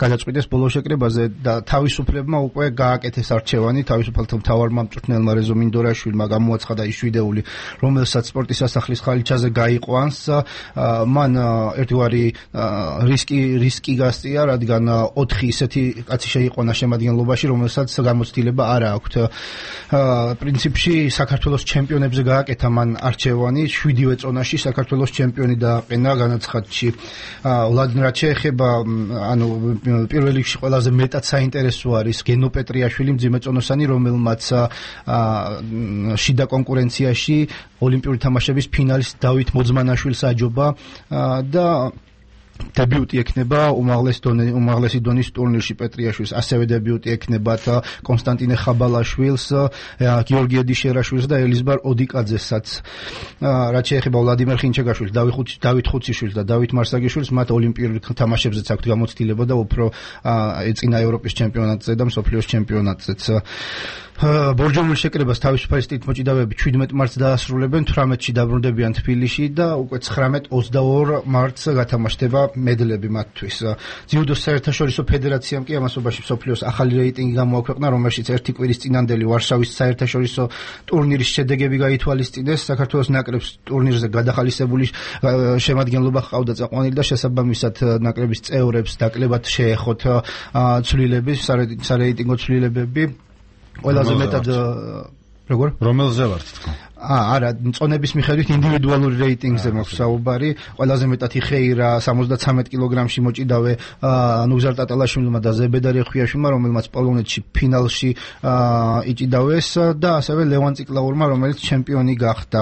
გადაწყვიტეს ბოლო შეკრებაზე და თავისუფლებმა უკვე გააკეთეს არჩევანი თავისუფალთა მთავარმა მწვრთნელმა რეზო მინდორაშვილმა გამოაცხადა ის ვიდეოული რომელსაც სპორტის სასახლის ხალიჩაზე გაიყვანს მან ერთგვარი რისკი გასწია რადგან 4 ისეთი კაცი შეიყვანა შემადგენლობაში რომელსაც გამოცდილება არ აქვთ პრინციპში საქართველოს ჩემპიონებზე გააკეთა მან არჩევანი 7-ვე წონაში საქართველოს ჩემპიონი დააყენა განაცხადში ვლადიმირ შეეხება ანუ პირველ რიგში ყველაზე მეტად საინტერესო არის გენო პეტრიაშვილი მძიმეწონოსანი რომელმაც შიდა კონკურენციაში ოლიმპიური თამაშების ფინალის დავით მოძმანაშვილს აჯობა და დებიუტი ექნება უმაღლესი დონის ტურნირში პეტრიაშვილს ასევე დებიუტი ექნებათ კონსტანტინე ხაბალაშვილს გიორგი ედიშერაშვილს და ელიზბარ ოდიკაძესაც რაც შეეხება ვლადიმერ ხინჩეგაშვილს დავით ხუციშვილს და დავით მარსაგიშვილს მათ ოლიმპიურ თამაშებზეც აქვთ გამოცდილება და უფრო ეწინა ევროპის ჩემპიონატზე და მსოფლიოს ჩემპიონატზეც ბორჯომულ შეკრებას თავისუფალი სტილით მოჭიდავეები 17 მარტს დაასრულებენ 18-ში დაბრუნდებიან თბილისში და უკვე 19-22 მარტს გათამაშდება მედლები მათთვის ძიუდოს საერთაშორისო ფედერაციამ კი ამასობაში მსოფლიოს ახალი რეიტინგი გამოაქვეყნა რომელშიც ერთი კვირის წინანდელი ვარშავის საერთაშორისო ტურნირის შედეგები გაითვალისწინეს საქართველოს ნაკრებს ტურნირზე გადახალისებული შემადგენლობა ჰყავდა წაყვანილი და შესაბამისად ნაკრების წევრებს დაკლებად შეეხოთ ცვლილების სარეიტინგო ცვლილებები ყველაზე მეტად როგორ რომელზე ვართ თქო არა წონების მიხედვით ინდივიდუალური რეიტინგზე მაქვს საუბარი ყველაზე მეტად იხეირა 73 კილოგრამში მოჭიდავე ნუგზარ ტატალაშვილმა და ზებედარ ეხვიაშვილმა რომელმაც პოლონეთში ფინალში იჭიდავეს და ასევე ლევან ციკლაურმა რომელიც ჩემპიონი გახდა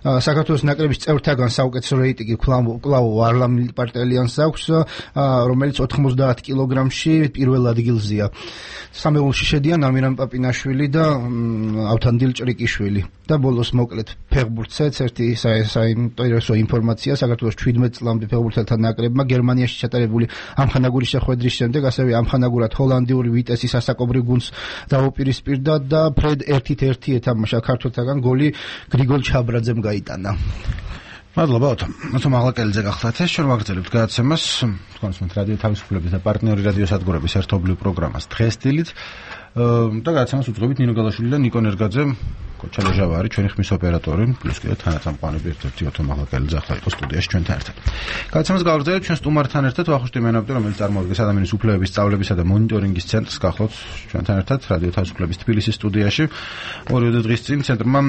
საქართველოს ნაკრების წევრთაგან საუკეთესო რეიტინგი კვლავ ვარლამ პარტელიანს აქვს რომელიც 90 კილოგრამში პირველ ადგილზეა სამეულში შედიან ამირან პაპინაშვილი და ავთანდილ ჭრიკიშვილი და ბოლოს მოკლედ ფეხბურთსაც ერთი საინტერესო ინფორმაცია საქართველოს 17 წლამდე ფეხბურთელთა ნაკრებმა გერმანიაში ჩატარებული ამხანაგურის შეხვედრის შემდეგ ასევე ამხანაგურად ჰოლანდიური ვიტესის ასაკობრივ გუნდს დაუპირისპირდა და ფრედ 1-1 ეთამაშა ქართველთაგან გოლი გრიგოლ ჩაბრაძემ გაიტანა მადლობა ოთო მაღლაკელიძე გახლავთ ეს ჩვენ ვაგრძელებთ გადაცემას თქვენს მე რადიო თავისუფლების და პარტნიორი რადიო სადგურების ერთობლივ პროგრამას დღესდილით და გადაცემას უძღვებით ნინო გალაშვილი და ნიკო ნერგაძე კოჩალე ჟავარი ჩვენი ხმის ოპერატორი პლუს კიდე თანაწამყვანები ერთ-ერთი ოთო მაღლაკელიძე ახლა იყო სტუდიაში ჩვენთან ერთად გადაცემას გავაგრძელებთ ჩვენ სტუმართან ერთად ვახუშტი მენაბდი რომელიც წარმოადგენს ადამიანის უფლებების სწავლებისა და მონიტორინგის ცენტრს გახლავთ ჩვენთან ერთად რადიო თავისუფლების თბილისის სტუდიაში ორი დღის წინ ცენტრმა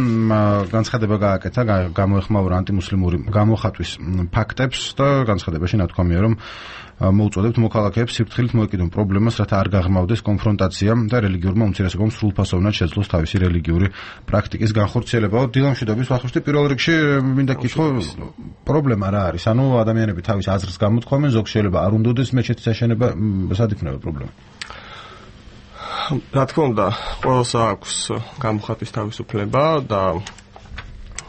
განცხადება გააკეთა გამოეხმაურა ანტიმუსლიმური გამოხატვის ფაქტებს და განცხადებაში ნათქვამია რომ მოუწოდებთ მოქალაქეებს სიფრთხილით მოეკიდონ პრობლემას, რათა არ გაღრმავდეს კონფრონტაცია და რელიგიურმა უმცირესობამ სრულფასოვნად შეძლოს თავისი რელიგიური პრაქტიკის განხორციელება. დილამშვიდობის ვახუშტი პირველ რიგში მინდა გითხრა პრობლემა რა არის? ანუ ადამიანები თავის აზრს გამოთქვამენ, ზოგ შეიძლება არ უნდადეს მეჩეთის აშენება, სად იქნება პრობლემა? რა თქმა უნდა, ყველას აქვს გამოხატვის თავისუფლება და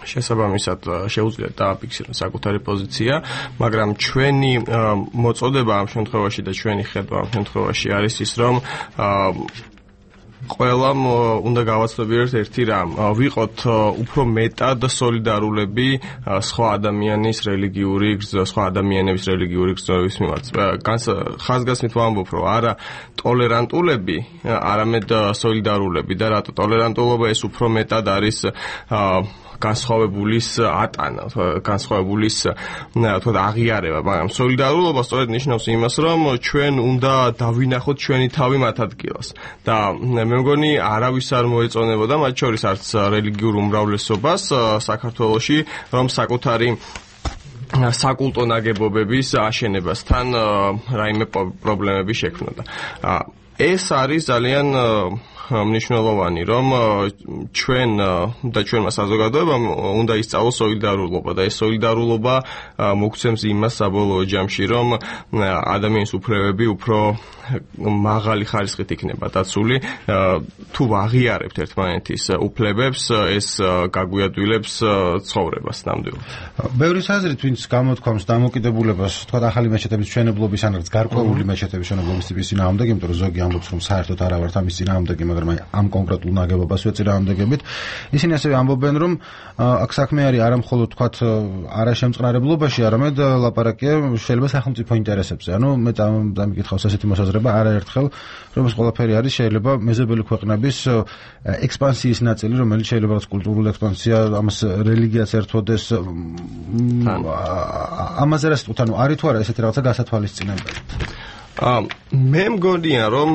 შესაბამისად შეუძლიათ დააფიქსირონ საკუთარი პოზიცია, მაგრამ ჩვენი მოწოდება ამ შემთხვევაში და ჩვენი ხედვა ამ შემთხვევაში არის ის, რომ ყველამ უნდა გავაცნობიეროთ ერთი რამ, ვიყოთ უფრო მეტად სოლიდარულები სხვა ადამიანის რელიგიური სხვა ადამიანების რელიგიური გრძნობის მიმართ. ხაზგასმით ვამბობ, რომ არა ტოლერანტულები, არამედ სოლიდარულები და რატო ტოლერანტულობა ეს უფრო მეტად არის განსხვავებულის ატანა, განსხვავებულის თქო აღიარება, მაგრამ სოლიდარულობა სწორედ ნიშნავს იმას, რომ ჩვენ უნდა დავინახოთ ჩვენი თავი მათ ადგილას. და მე მგონი არავის არ მოეწონებოდა, მათ შორის არც რელიგიურ უმრავლესობას საქართველოში, რომ საკუთარი საკულტო ნაგებობების აშენებასთან რაიმე პრობლემები შექმნოდა. ეს არის ძალიან მნიშვნელოვანი, რომ ჩვენ და ჩვენმა საზოგადოებამ უნდა ისწავლოს სოლიდარულობა და ეს სოლიდარულობა მოგცემს იმას საბოლოო ჯამში, რომ ადამიანის უფლებები უფრო მაღალი ხარისხით იქნება დაცული. თუ აღიარებთ ერთმანეთის უფლებებს, ეს გაგვიადვილებს ცხოვრებას ნამდვილად. ბევრი საზრით, ვინც გამოთქვამს დამოკიდებულებას, თქვა ახალი მეჩეთების მშენებლობის ან გარკვეული მეჩეთების მშენებლობის ტიპის წინააღმდეგ, იმიტომ რომ ზოგი ამბობს, რომ საერთოდ არა ვართ ამის წინააღმდეგი, მაგრამ ამ კონკრეტულ ნაგებობას ვეწინააღმდეგებით. ისინი ასევე ამბობენ, რომ აქ საქმე არის არა მხოლოდ თქვა არაშემწყნარებლობაში, არამედ ლაპარაკია შეიძლება სახელმწიფო ინტერესებზე. ანუ მე დამიკითხავს ასეთი მოსაზრება არაერთხელ, რომ ეს ყველაფერი არის შეიძლება მეზობელი ქვეყნების ექსპანსიის ნაწილი, რომელიც შეიძლება რაც კულტურული ექსპანსია, ამას რელიგიაც ერთვოდეს. ამაზე რა სიტყვით, ანუ არის თუ არა ესეთი რაღაცა გასათვალისწინებელი? მე მგონია, რომ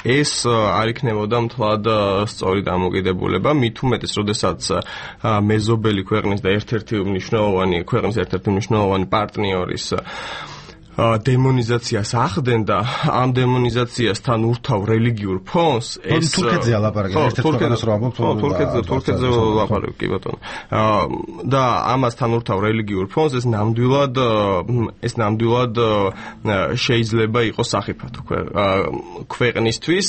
ეს არ იქნებოდა მთლად სწორი დამოკიდებულება, მით უმეტეს, როდესაც მეზობელი ქვეყნის და ერთ-ერთი მნიშვნელოვანი პარტნიორის დემონიზაციას ახდენდა, ამ დემონიზაციასთან ურთავ რელიგიურ ფონს, ეს თურქეთზეა ლაპარაკი, ერთ-ერთ ქვეყანას რო ამბობ, თურქეთზე ლაპარაკი, კი ბატონო. და ამასთან ურთავ რელიგიურ ფონს ეს ნამდვილად შეიძლება იყოს სახიფათო ქვეყნისთვის.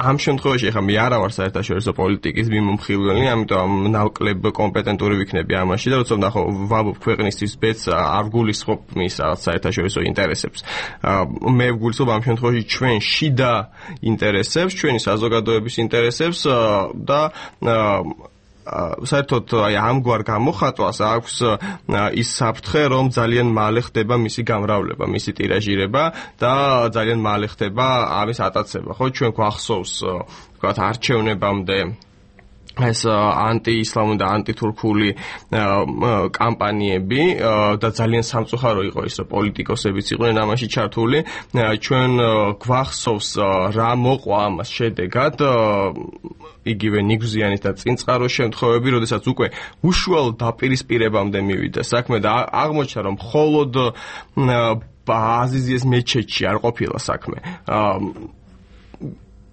ამ შემთხვევაში ახლა მე არა ვარ საერთაშორისო პოლიტიკის მიმომხილველი, ამიტომ ნაკლებ კომპეტენტური ვიქნები ამაში და როცა ნახო ვამბობ ქვეყნისთვის ბედს არ გულისხმობ მის საერთაშორისო ინტერესებს. მე ვგულისხმობ ამ შემთხვევაში ჩვენ შიდა ინტერესებს, ჩვენი საზოგადოების ინტერესებს და საერთოდ ამგვარ გამოხატვას აქვს ის საფრთხე, რომ ძალიან მალე ხდება მისი გამრავლება, მისი ტირაჟირება და ძალიან მალე ხდება ამის ატაცება. ხო, ჩვენ გვახსოვს, ვთქვათ, არჩევნებამდე ეს ანტიისლამური და ანტითურქული კამპანიები და ძალიან სამწუხარო იყო ის, რომ პოლიტიკოსებიც იყვნენ ამაში ჩართული. ჩვენ გვახსოვს რა მოყვა ამას შედეგად, იგივე ნიგზიანის და წინწყაროს შემთხვევები, როდესაც უკვე უშუალო დაპირისპირებამდე მივიდა საქმე და აღმოჩნდა, რომ მხოლოდ აზიზიეს მეჩეთში არ ყოფილა საქმე.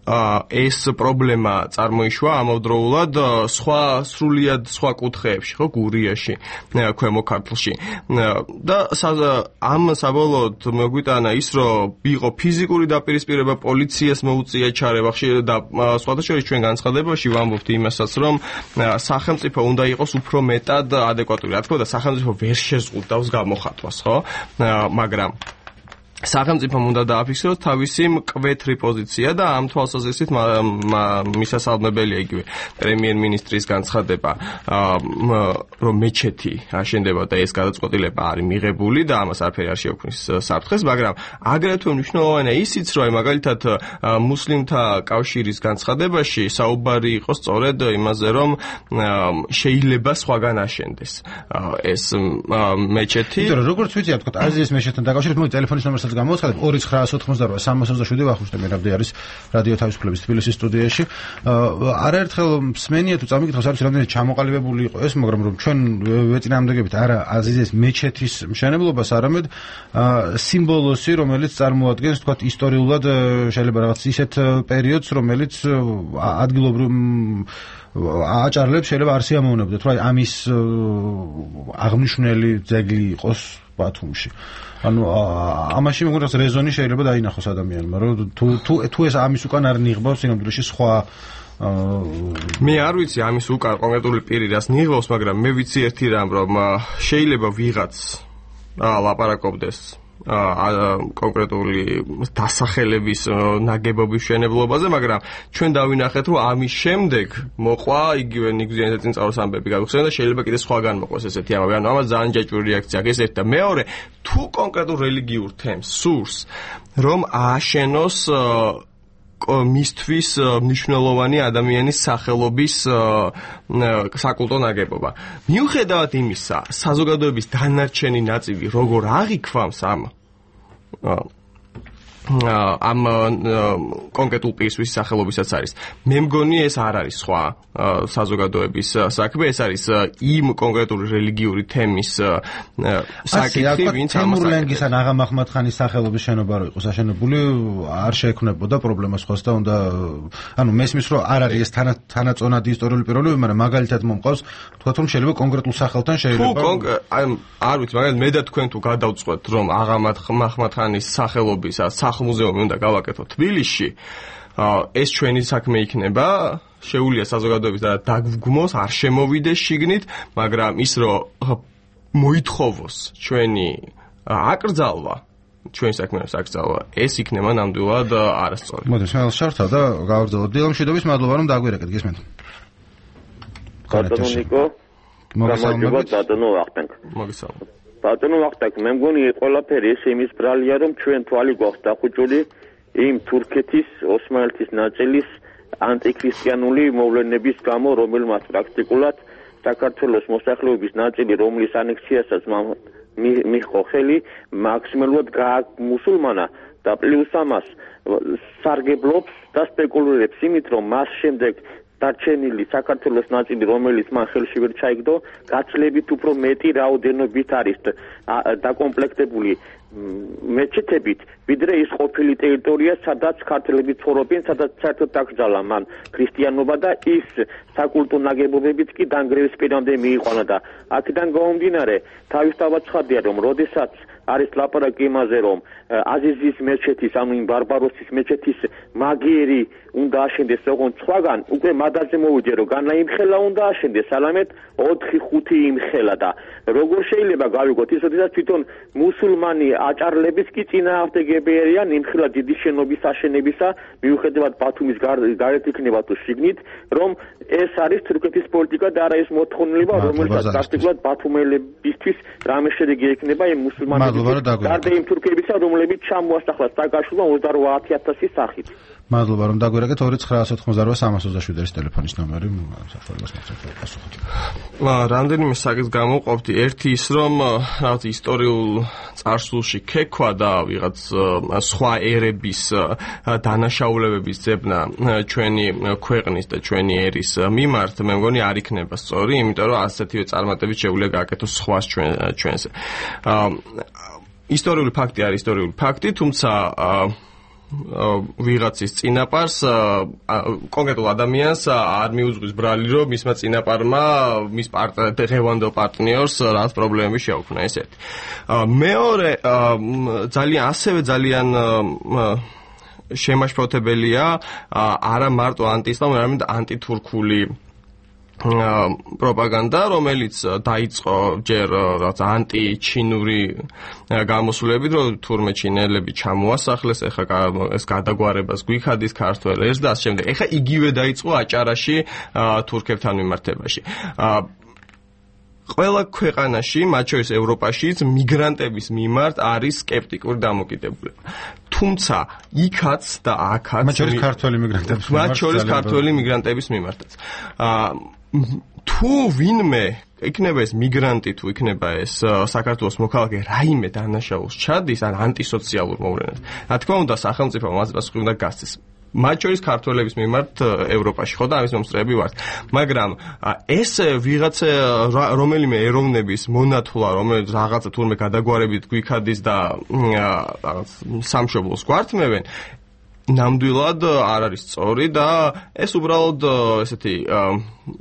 ეს პრობლემა წარმოიშვა ამავდროულად სრულიად სხვა კუთხეებში, ხო, გურიაში, ქვემო ქართლში. და ამ საბოლოოდ მოგვიტანა ის, რომ იყო ფიზიკური დაპირისპირება, პოლიციას მოუწია ჩარევა და სხვათა შორის ჩვენ განცხადებაში ვამბობთ იმასაც, რომ სახელმწიფო უნდა იყოს უფრო მეტად ადეკვატური. რა თქმა უნდა, სახელმწიფო ვერ შეზღუდავს გამოხატვას, ხო? მაგრამ სახელმწიფომ უნდა დააფიქსიროს თავისი მკვეთრი პოზიცია და ამ თვალსაზრისით მისასალმებელია იგივე პრემიერ-მინისტრის განცხადება, რომ მეჩეთი აშენდება და ეს გადაწყვეტილება არის მიღებული და ამას არაფერი არ შეუქმნის საფრთხეს, მაგრამ აგრეთვე მნიშვნელოვანია ისიც, რომ მაგალითად მუსლიმთა კავშირის განცხადებაში საუბარი იყო სწორედ იმაზე, რომ შეიძლება სხვაგან აშენდეს ეს მეჩეთი. იმიტომ რომ როგორც ვიცი, თქვა აზიის მეჩეთთან დაკავშირებით, მოდი ტელეფონის ნომერსაც გამოცხადებ 2988 322 ვახუშტე მერაბდი არის რადიო თავისუფლების თბილისის სტუდიაში. არაერთხელ მსმენია თუ წამიკითხავს არის რამდენად ჩამოყალიბებული იყო ეს, მაგრამ რომ ჩვენ ვეწინააღმდეგებით არა აზიზის მეჩეთის მშენებლობას, არამედ სიმბოლოსი, რომელიც წარმოადგენს თქვა ისტორიულად შეიძლება რაღაც ისეთ პერიოდს, რომელიც ადგილობრივ აჭარლებს შეიძლება არ სიამოვნებდეთ, რომ ამის აღნიშნული ძეგლი იყოს ბათუმში. ანუ ამაში მეგონებს რეზონი შეიძლება დაინახოს ადამიანმა, რომ თუ ეს ამის უკან არ ნიღბავს სინამდვილეში სხვა მე არ ვიცი ამის უკან კონკრეტული პირი რას ნიღბავს, მაგრამ მე ვიცი ერთი რამ, რომ შეიძლება ვიღაც ლაპარაკობდეს კონკრეტული დასახელების ნაგებობის მშენებლობაზე, მაგრამ ჩვენ დავინახეთ, რომ ამის შემდეგ მოყვა იგივე ნიგზიანის წინწავალის ამბები გავიხსენე და შეიძლება კიდე სხვაგან მოყვეს ესეთი ამბები. ანუ ამას ძალიან ჯაჭვური რეაქცია აქვს ეს ერთი და მეორე, თუ კონკრეტულ რელიგიურ თემს სურს, რომ ააშენოს მისთვის მნიშვნელოვანი ადამიანის სახელობის საკულტო ნაგებობა. მიუხედავად იმისა, საზოგადოების დანარჩენი ნაწილი როგორ აღიქვამს ამ კონკრეტულ პირის სახელობისაც არის. მე მგონი ეს არ არის სხვა საზოგადოების საქმე, ეს არის იმ კონკრეტული რელიგიური თემის საკითხი, ვინც თემურლენგის ან აღა მაჰმად-ხანის სახელობის შენობა რო იყოს აშენებული, არ შეექმნებოდა პრობლემას ხოს და უნდა ანუ მესმის რომ არ არის ეს თანაწონადი ისტორიული პირობები, მაგრამ მაგალითად მომყავს თქვათ რომ შეიძლება კონკრეტულ სახელთან შეიძლება არ ვიცი, მაგალითად მე და თქვენ თუ გადავწყვეტ რომ აღა მაჰმად-ხანის სახელობის მუზეუმი უნდა გავაკეთოთ თბილისში, ეს ჩვენი საქმე იქნება, შეუძლია საზოგადოების დაგვგმოს, არ შემოვიდეს შიგნით, მაგრამ ის რომ მოითხოვოს ჩვენი აკრძალვა, ჩვენი საქმეების აკრძალვა, ეს იქნება ნამდვილად არასწორი. მოდი, მე შევთავ და გავაგრძელოთ. დილამშვიდობის, მადლობა რომ დაგვირეკეთ, გისმენთ. ბატონო ნიკო, გამარჯობა ბატონო ვახტანგ. მოგესალმებით. ბატონო ვახტანგ, მე მგონი ყველაფერი ეს იმის ბრალია, რომ ჩვენ თვალი გვაქვს დახუჭული იმ თურქეთის ოსმალეთის ნაწილის ანტიქრისტიანული მოვლენების გამო, რომელმაც პრაქტიკულად საქართველოს მოსახლეობის ნაწილი, რომლის ანექსიასაც მიჰყო ხელი, მაქსიმალურად გაამუსულმანა და პლუს ამას სარგებლობს და სპეკულირებს იმით, რომ მას შემდეგ დარჩენილი საქართველოს ნაწილი, რომელიც მან ხელში ვერ ჩაიგდო, გაცლებით უფრო მეტი რაოდენობით არის დაკომპლექტებული მეჩეთებით, ვიდრე ის ყოფილი ტერიტორია, სადაც ქართველები ცხოვრობენ, სადაც საერთოდ დაკრძალა მან ქრისტიანობა და ის საკულტო ნაგებობებიც კი დანგრევის პირამდე მიიყვანა და აქედან გამომდინარე, თავისთავად ცხადია, რომ როდესაც არის ლაპარაკი იმაზე, რომ აზიზის მეჩეთის, ანუ იმ ბარბაროსის მეჩეთის მაგიერი უნდა აშენდეს, ოღონდ სხვაგან უკვე მადაზე მოვიჯე, რომ განა იმხელა უნდა აშენდეს, ალამეთ 4-5 იმხელა და როგორ შეიძლება გავიგოთ ის, როდესაც თვითონ მუსულმანი აჭარლების კი წინააღმდეგები არიან იმხელა დიდი შენობის აშენებისა, მიუხედავად ბათუმის გარეთ იქნება თუ შიგნით, რომ ეს არის თურქეთის პოლიტიკა და არა ეს მოთხოვნილება, რომელსაც პრაქტიკულად ბათუმელებისთვის რამე შედეგი ექნება იმ მუსულმანების გარდა იმ თურქებისა, რომლებიც ჩამოასახლა სააკაშვილმა 28,000 სახით. მადლობა რომ დაგვირეკეთ 2948327 ეს ტელეფონის ნომერი საფრთხეს მოხდა პასუხად. რამდენიმე საკითხს გამოვყოფდი. ერთი ის რომ რაღაც ისტორიულ წარსულში ქექვა და ვიღაც სხვა ერების დანაშაულებების ძებნა ჩვენი ქვეყნის და ჩვენი ერის მიმართ, მე მგონი არ იქნება სწორი, იმიტომ რომ ასეთივე წარმატებით შეუძლია გააკეთოს სხვას ჩვენზე. ისტორიული ფაქტი არის ისტორიული ფაქტი, თუმცა ვიღაცის წინაპარს კონკრეტულ ადამიანს არ მიუძღვის ბრალი, რომ მისმა წინაპარმა მის ღევანდელ პარტნიორს რაღაც პრობლემები შეაუქმნა, ეს ერთი. მეორე, ძალიან შემაშფოთებელია არა მარტო ანტისლამური, არამედ ანტითურქული პროპაგანდა, რომელიც დაიწყო ჯერ რაღაც ანტიჩინური გამოსვლებით, რომ თურმე ჩინელები ჩამოასახლეს, ეხლა ეს გადაგვარებას გვიქადის ქართველებს და ასე შემდეგ. ეხლა იგივე დაიწყო აჭარაში თურქებთან მიმართებაში. ყველა ქვეყანაში, მათ შორის ევროპაშიც, მიგრანტების მიმართ არის სკეპტიკური დამოკიდებულება. თუმცა იქაც და აქაც მათ შორის ქართველი მიგრანტების მიმართაც. თუ ვინმე იქნება ეს მიგრანტი, თუ იქნება ეს საქართველოს მოქალაქე რაიმე დანაშაულს ჩადის, ან ანტისოციალურ მოვლენას, რა თქმა უნდა, სახელმწიფო მას პასუხი უნდა გასცეს. მათ შორის ქართველების მიმართ ევროპაში, ხო და ამის მომსწრეები ვართ. მაგრამ ეს ვიღაცა რომელიმე ეროვნების მონათვლა, რომელიც რაღაცა თურმე გადაგვარებით გვიქადის და რაღაც სამშობლოს გვართმევენ, ნამდვილად არ არის სწორი და ეს უბრალოდ ესეთი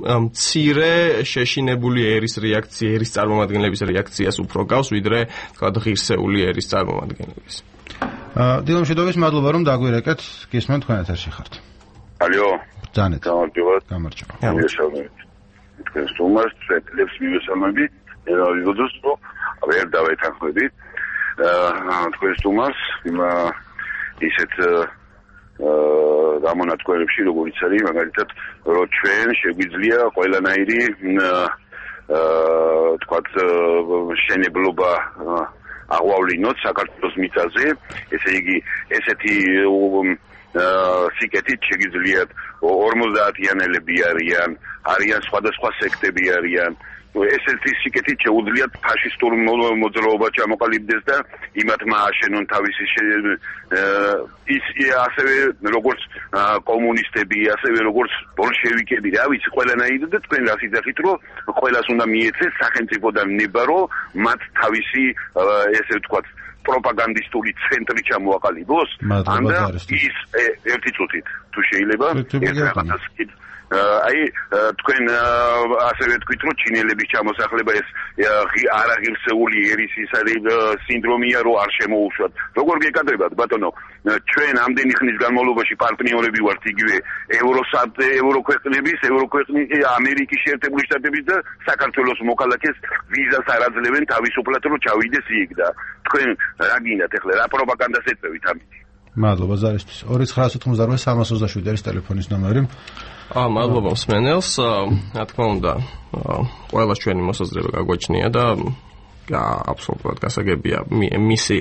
მცირე შეშინებული ერის რეაქცია, ერის წარმომადგენლების რეაქციას უფრო გავს, ვიდრე თქვა ღირსეული ერის წარმომადგენლების. დილამშვიდობის, მადლობა რომ დაგვირეკეთ, გისმენთ თქვენ ეთერში ხართ. ალო. ბრძანეთ. გამარჯობა. მივესალმებით. თქვენ სტუმარს წეთლებს მივესალმებით. ერავიღოდოს რომ ვერ დავეთანხმებით. თქვენს სტუმარს ისეთ გამონათქვამებში, როგორც არის მაგალითად, რომ ჩვენ შეგვიძლია ყველანაირი თქვათ შენებლობა აღვავლინოთ საქართველოს მიწაზე, ესე იგი ესეთი სიკეთით შეგიძლიათ 50-იანელები არიან სხვადასხვა სექტები არიან. ესეთი სიკეთით შეუძლიათ ფაშისტურ მოძრაობა ჩამოყალიბდეს და იმათმა აშენონ თავისი ის ასევე როგორც კომუნისტები, ასევე როგორც ბოლშევიკები, რა ვიცი, ყველანაირი და თქვენ რას იძახით, რომ ყველას უნდა მიეცეს სახელმწიფოდან ნება, რომ მათ თავისი ესე ვთქვათ პროპაგანდისტული ცენტრი ჩამოაყალიბოს, ანდა ის ერთი წუთით თუ შეიძლება ეს რაღაცას აი თქვენ ასევე თქვით რომ ჩინელების ჩამოსახლება ეს არაღირსეული ერისის სინდრომია რომ არ შემოუშვათ. როგორ გეკადრებათ ბატონო, ჩვენ ამდენი ხნის განმავლობაში პარტნიორები ვართ იგივე ევროქვეყნების, ამერიკის შეერთებული შტატების და საქართველოს მოქალაქეს ვიზას არ აძლევენ თავისუფლად რომ ჩავიდეს იქ და თქვენ რა გინდათ ახლა რა პროპაგანდას ეწევით ამით? მადლობა ზარისთვის. 2998 არის ტელეფონის ნომერი. მადლობა მსმენელს, რა თქმა უნდა, ყველას ჩვენი მოსაზრება გაგვაჩნია და აბსოლუტურად გასაგებია მისი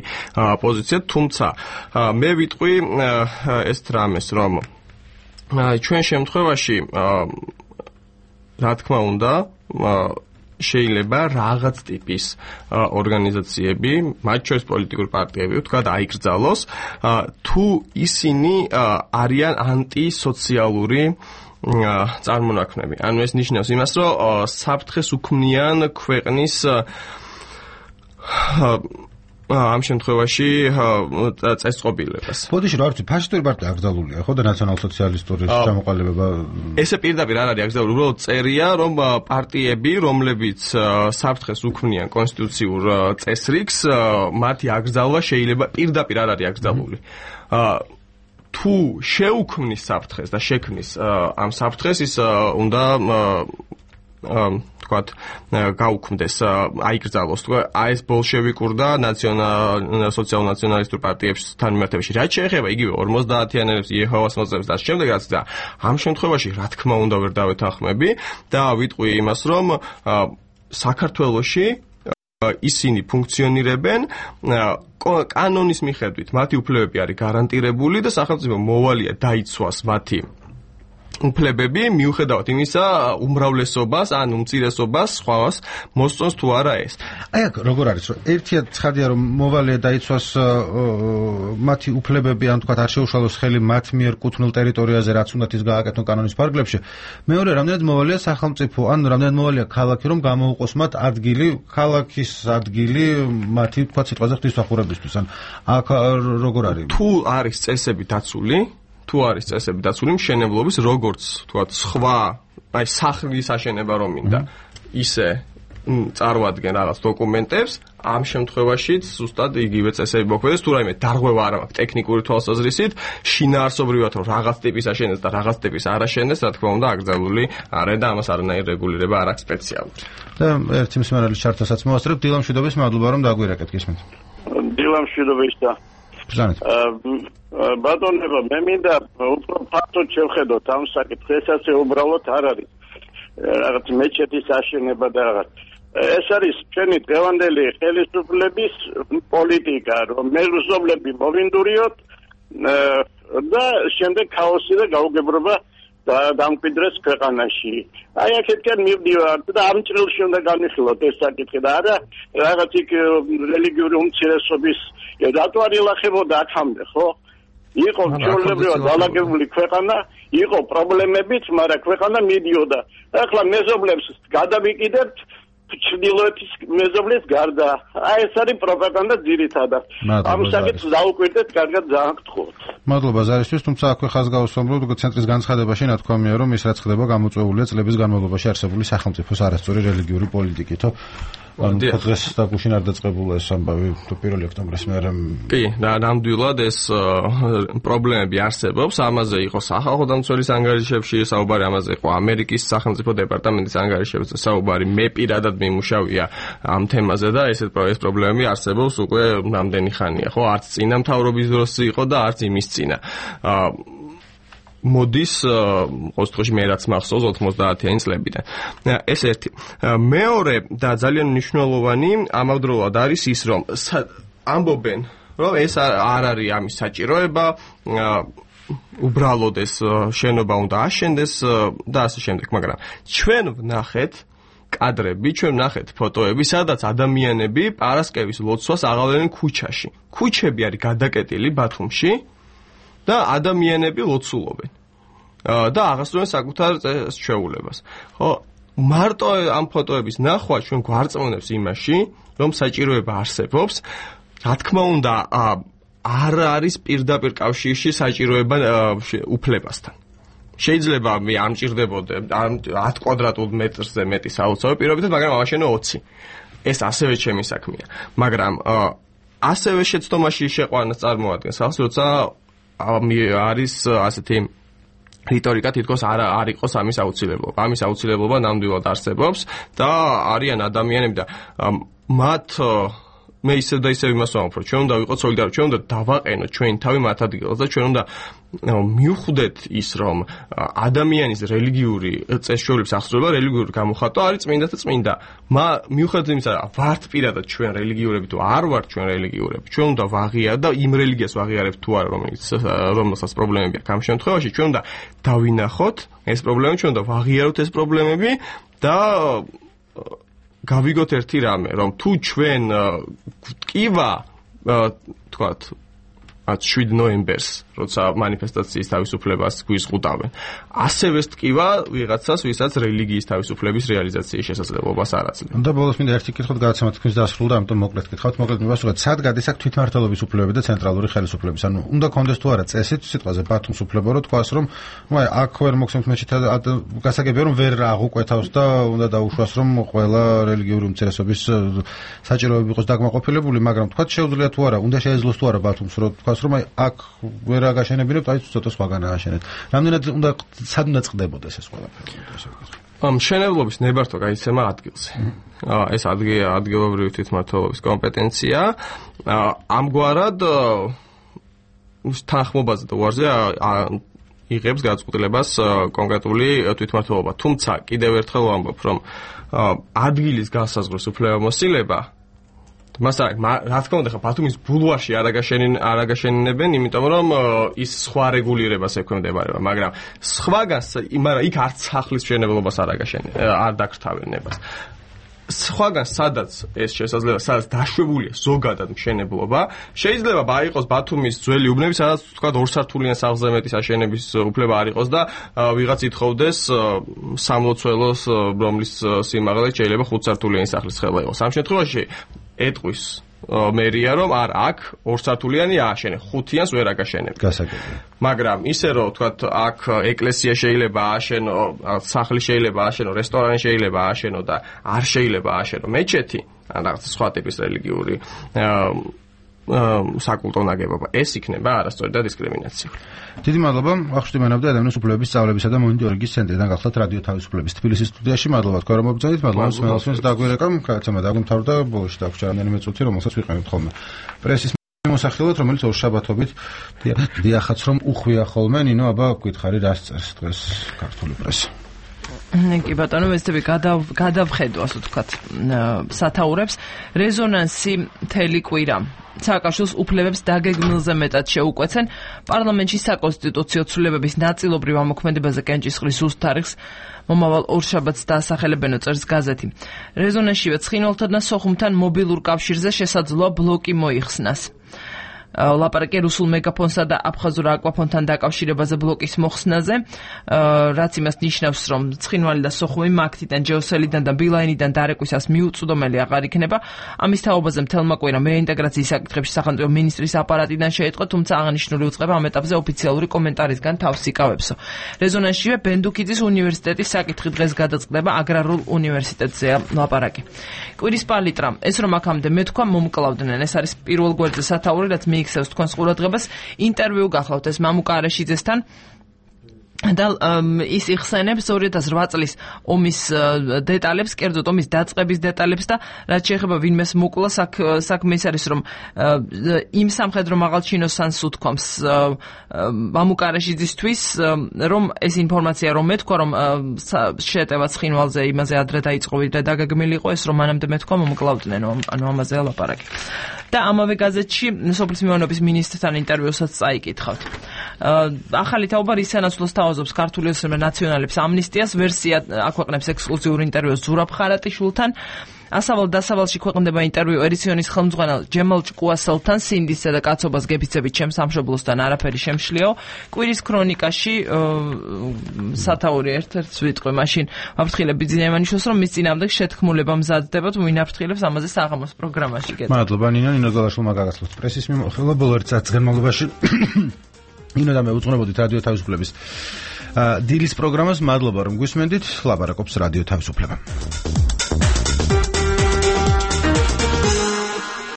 პოზიცია, თუმცა მე ვიტყვი ეს რამეს, რომ ჩვენ შემთხვევაში რა თქმა უნდა შეიძლება რაღაც ტიპის ორგანიზაციები, მათ შორის პოლიტიკური პარტიები, ვთქვათ, აიკრძალოს, თუ ისინი არიან ანტისოციალური წარმონაქმნები. ანუ ეს ნიშნავს იმას, რომ საფრთხეს უქმნიან ქვეყნის ამ შემთხვევაში წესწყობილებას. ბოდიში რა ვიცი, ფაშისტური პარტია აკრძალულია, ხო და ნაციონალ-სოციალისტური ჩამოყალიბება. ესე პირდაპირ არ არის აკრძალული, უბრალოდ წერია, რომ პარტიები, რომლებიც საფრთხეს უქმნიან კონსტიტუციურ წესრიგს, მათი აკრძალვა შეიძლება პირდაპირ არ არის აკრძალული. თუ შეუქმნის საფრთხეს და შექმნის ამ საფრთხეს, ის უნდა თქვათ გაუქმდეს, აიკრძალოს, აი ეს ბოლშევიკურ და სოციალ-ნაციონალისტურ პარტიებთან მიმართებაში. რაც შეეხება იგივე 50-იანელებს, იეჰოვას მოწმეებს და შემდეგაც და ამ შემთხვევაში რა თქმა უნდა ვერ დავეთანხმები და ვიტყვი იმას, რომ საქართველოში ისინი ფუნქციონირებენ კანონის მიხედვით, მათი უფლებები არის გარანტირებული და სახელმწიფო მოვალია დაიცვას მათი უფლებები მიუხედავად იმისა უმრავლესობას ან უმცირესობას სხვას მოსწონს თუ არა ეს. აი აქ როგორ არის, რომ ერთია ცხადია რომ მოვალია დაიცვას მათი უფლებები, ან თქვათ არ შეუშალოს ხელი მათ მიერ კუთვნილ ტერიტორიაზე, რაც უნდათ ის გააკეთონ კანონის პარაგრაფში. მეორე, რამდენად მოვალია სახელმწიფო, ან რამდენად მოვალია ქალაქი, რომ გამოუყოს მათ ადგილი, ქალაქის ადგილი მათი თქვათ სიტყვაზე ღვთისმსახურებისთვის. ან აქ როგორ არის? თუ არის წესები დაცული, მშენებლობის, როგორც თქვათ სხვა, აი სახლის აშენება რომ მინდა, ისე წარმოადგენ რაღაც დოკუმენტებს, ამ შემთხვევაშიც ზუსტად იგივე წესები მოქმედებს, თუ რაიმე დარღვევა არ აქვს ტექნიკური თვალსაზრისით, შინაარსობრივად რომ რაღაც ტიპის აშენდეს და რაღაც ტიპის არ აშენდეს, რა თქმა უნდა, აკრძალული არა და ამას არანაირი რეგულირება არ აქვს სპეციალური. და ერთი მსმენელის ჩართასაც მოვასწრებ, დილა მშვიდობის, მადლობა რომ დაგვირეკეთ გისმენთ. დილა მშვიდობის და ბატონებო, მე მინდა უფრო ფაქტოდ შევხედოთ ამ საკითხს, ასე უბრალოდ არ არის რაღაც მეჩეთის აშენება და რაღაც. ეს არის ჩვენი დღევანდელი ხელისუფლების პოლიტიკა, რომ მეზობლები მოვინდურიოთ და შემდეგ ქაოსი და გაუგებრობა დამკვიდრეს ქვეყანაში. აი აქეთკენ მივდივართ და ამ წრილში უნდა განვიხილოთ ეს საკითხი და არა რაღაც იქ რელიგიური უმცირესობის რატო არ ილახებოდა აქამდე, ხო? იყო ჩვეულებრივად დალაგებული ქვეყანა, იყო პრობლემებიც, მაგრამ ქვეყანა მიდიოდა. ახლა მეზობლებს გადავიკიდებთ ჩრდილოეთის მეზობლის გარდა. აი ეს არის პროპაგანდა ძირითადად. ამ საკითხს დაუკვირდეთ, კარგად ძალიან გთხოვთ. მადლობა ზარისთვის, თუმცა აქვე ხაზგასმავლობ ცენტრის განცხადებაში ნათქვამია, რომ ის რაც ხდება გამოწვეულია წლების განმავლობაში არსებული სახელმწიფოს არასწორი რელიგიური პოლიტიკითო. დღეს დაგუშინ არ დაწყებულა ეს ამბავი 1 ოქტომბრის მერე. კი, ნამდვილად ეს პრობლემები არსებობს. ამაზე იყო სახალხო დამცველის ანგარიშებში საუბარი, ამაზე იყო ამერიკის სახელმწიფო დეპარტამენტის ანგარიშებში საუბარი. მე პირადად მიმუშავია ამ თემაზე და ეს პრობლემები არსებობს უკვე რამდენი ხანია, ხო? არც წინა მთავრობის დროს იყო და არც იმის წინა. მოდის ოთხში მე რაც მახსოვს 90-იანი წლებიდან. ეს ერთი. მეორე და ძალიან მნიშვნელოვანი ამავდროულად არის ის, რომ ამბობენ, რომ ეს არ არის ამის საჭიროება, უბრალოდ ეს შენობა უნდა აშენდეს და ასე შემდეგ, მაგრამ ჩვენ ვნახეთ კადრები, ჩვენ ვნახეთ ფოტოები, სადაც ადამიანები პარასკევის ლოცვას აღავლენენ ქუჩაში. ქუჩები არის გადაკეტილი ბათუმში და ადამიანები ლოცულობენ. და აღასრულებენ საკუთარ ჩვეულებას. ხო, მარტო ამ ფოტოების ნახვა ჩვენ გვარწმუნებს იმაში, რომ საჭიროება არსებობს. რა თქმა უნდა, არ არის პირდაპირ კავშირში საჭიროება უფლებასთან. შეიძლება მე არ მჭირდებოდე 10 კვადრატულ მეტრზე მეტი საოცარი პირობითად, მაგრამ ამაშენო 20. ეს ასევე ჩემი საქმეა. მაგრამ ასევე შეცდომაში შეყვანას წარმოადგენს ახს, როცა არის ასეთი რიტორიკა თითქოს არ იყოს ამის აუცილებლობა. ამის აუცილებლობა ნამდვილად არსებობს და არიან ადამიანები და მათ მე ისევ და ისევ იმას ვამბობ, რომ ჩვენ უნდა ვიყოთ სოლიდარული, ჩვენ უნდა დავაყენოთ ჩვენი თავი მათ ადგილას და ჩვენ უნდა მივხვდეთ ის, რომ ადამიანის რელიგიური წესჩვეულების აღსრულება, რელიგიური გამოხატვა არის წმინდა და წმინდა. მივხვდეთ იმისა, ვართ პირადად ჩვენ რელიგიურები თუ არ ვართ ჩვენ რელიგიურები. ჩვენ უნდა ვაღიაროთ და იმ რელიგიას ვაღიარებთ თუ არა, რომელსაც პრობლემები აქვს ამ შემთხვევაში, ჩვენ უნდა დავინახოთ ეს პრობლემები, ჩვენ უნდა ვაღიაროთ ეს პრობლემები და გავიგოთ ერთი რამე, რომ თუ ჩვენ გვტკივა, თქვათ 7 ნოემბერს, როცა მანიფესტაციის თავისუფლებას გვიზღუდავენ, ასევე სტკივა ვიღაცას, ვისაც რელიგიის თავისუფლების რეალიზაციის შესაძლებლობას არ აძლევს. და ბოლოს მინდა ერთი კითხვა გადაცემა თქვენს დასრულდა, ამიტომ მოკლედ გითხავთ, მოკლედ მივასრულოთ, სად გადის აქ თვითმმართველობის უფლებები და ცენტრალური ხელისუფლების? ანუ უნდა კონდეს თუ არა წესით სიტყვაზე ბათუმს უფლება რო თქვას, რომ აქ ვერ მოგცემთ მეჩეთად გასაგებია რომ ვერ აღუკვეთავს და უნდა დაუშვას, რომ ყველა რელიგიური უმცირესობის საჭიროები იყოს დაკმაყოფილებული, მაგრამ თქვათ შეუძლია თუ არა, უნდა შეეძლოს თუ არა ბათუმს რო თქვას, რომ აქ ვერ აგაშენებინებთ, აი ცოტა სხვაგან ააშენეთ. რამდენად უნდა სად უნდა წყდებოდეს ეს ყველაფერი? მშენებლობის ნებართვა გაიცემა ადგილზე. ეს ადგილობრივი თვითმმართველობის კომპეტენცია. ამგვარად თანხმობაზე და უარზე იღებს გადაწყვეტილებას კონკრეტული თვითმმართველობა. თუმცა კიდევ ერთხელ ვამბობ, რომ ადგილის განსაზღვრის უფლებამოსილება რა თქმა უნდა, ბათუმის ბულვარში არ აგაშენებენ, იმიტომ რომ ის სხვა რეგულირებას ექვემდებარება, მაგრამ იქ არც სახლის მშენებლობას არ დაკრთავენ ნებას. სხვაგან სადაც ეს შესაძლოა, სადაც დაშვებულია ზოგადად მშენებლობა, შეიძლება იყოს ბათუმის ძველი უბნები, სადაც თქვა 2 სართულიან სახლზე მეტის აშენების უფლება არ იყოს და ვიღაც ითხოვდეს სამლოცველოს, რომლის სიმაღლე შეიძლება 5 სართულიანი სახლის ხელა იყოს. ამ შემთხვევაში ეტყვის მერია, რომ აქ 2 სართულიანი ააშენე, 5-იანს ვერ აგაშენებ. გასაგებია. მაგრამ ისე რომ თქვათ აქ ეკლესია შეიძლება ააშენო, სახლი შეიძლება ააშენო, რესტორანი შეიძლება ააშენო და არ შეიძლება ააშენო მეჩეთი, ან რაღაც სხვა ტიპის რელიგიური საკულტო ნაგებობა. ეს იქნება არასწორი და დისკრიმინაციული. დიდი მადლობა. ახშტი მენავდა ადამიანის უფლებების სწავლებისა და მონიტორინგის ცენტრიდან გახლავთ რადიო თავისუფლების თბილისის სტუდიაში. მადლობა თქვენ რომ მოგწონით. მადლობა მსმენელს დაგვირეკამ. გადაცემა დაგვიმთავრდა და ბოლოში დაგვრჩა რამდენიმე წუთი, რომელსაც ვიყენებთ ხოლმე. პრესის მოსახილოთ, რომელიც ორშაბათობით დიახაც რომ უხვია ხოლმე. ნინო, აბა გითხარი რას წერს დღეს ქართული პრესა? კი ბატონო, ვესტები გადავხედვას ვთქვათ სათაურებს. რეზონანსი მთელი კვირა სააკაშვილის უფლებებს დაგეგმილზე მეტად შეუკვეცენ. პარლამენტში საკონსტიტუციო ცვლილებების ნაწილობრივ ამოქმედებაზე კენჭისყრის ზუსტ თარიღს მომავალ ორშაბათს დაასახელებენო, წერს გაზეთი. რეზონანსშივე ცხინვალთან და სოხუმთან მობილურ კავშირზე შესაძლოა ბლოკი მოიხსნას. ლაპარაკი რუსულ მეგაფონსა და აფხაზურ აკვაფონთან დაკავშირებაზე ბლოკის მოხსნაზე, რაც იმას ნიშნავს, რომ ცხინვალი და სოხუმი მაგთიდან, ჯეოსელიდან და ბილაინიდან დარეკვისას მიუწვდომელი აღარ იქნება. ამის თაობაზე მთელმა კვირამ რეინტეგრაციის საკითხებში სახელმწიფო მინისტრის აპარატიდან შეიტყო, თუმცა აღნიშნული უწყება ამ ეტაპზე ოფიციალური კომენტარისგან თავს იკავებსო. რეზონანსშივე ბენდუქიძის უნივერსიტეტის საკითხი დღეს გადაწყდება აგრარულ უნივერსიტეტზეა ლაპარაკი. კვირის პალიტრა, ეს რომ აქამდე მეთქვა მომკლავდნენ, ეს არის პირველ გვერდზე სათაური, რაც მიიქცევს თქვენს ყურადღებას. ინტერვიუ გახლავთ ეს მამუკა არაშიძესთან და ის იხსენებს 2008 წლის ომის დეტალებს, კერძოდ ომის დაწყების დეტალებს და რაც შეეხება ვინმეს მოკლა საქმე ის არის, რომ იმ სამხედრო მაღალჩინოსანს უთქვამს მამუკა არაშიძისთვის, რომ ეს ინფორმაცია რომ მეთქვა, რომ შეტევა ცხინვალზე იმაზე ადრე დაიწყო, ვიდრე დაგეგმილიყო, ეს რომ მანამდე მეთქვა მომკლავდნენ, ანუ ამაზეა ლაპარაკი. და ამავე გაზეთში სოფლის მეურნეობის მინისტრთან ინტერვიუსაც წაიკითხავთ. ახალი თაობა რის სანაცვლოდ სთავაზობს ქართული ნაციონალებს ამნისტიას, ვერსია აქვეყნებს ექსკლუზიურ ინტერვიუს ზურაბ ხარატიშვილთან. ასავალ-დასავალში ქვეყნდება ინტერვიუ ერიციონის ხელმძღვანელ ჯემალ ჭკუასელთან, სინდისსა და კაცობას გეფიცებით ჩემს სამშობლოსთან არაფერი შემშლიო. კვირის ქრონიკაში სათაური ერთ-ერთს ვიტყვი, მაშინ ვაფრთხილებ ბიძინაევანიშვილს, რომ მის წინააღმდეგ შეთქმულება მზადდება, თუ ვინ აფრთხილებს ამაზე საღამოს პროგრამაში. მადლობა ნინო გალაშვილმა გაგაცნოთ პრესის მიმოხილვა ბოლო 1 საათის განმავლობაში. ნინო და მე უძღვნებოდით რადიო თავისუფლების დილის პროგრამას. მადლობა რომ გვისმენდით. ლაპარაკობს რადიო თავისუფლება.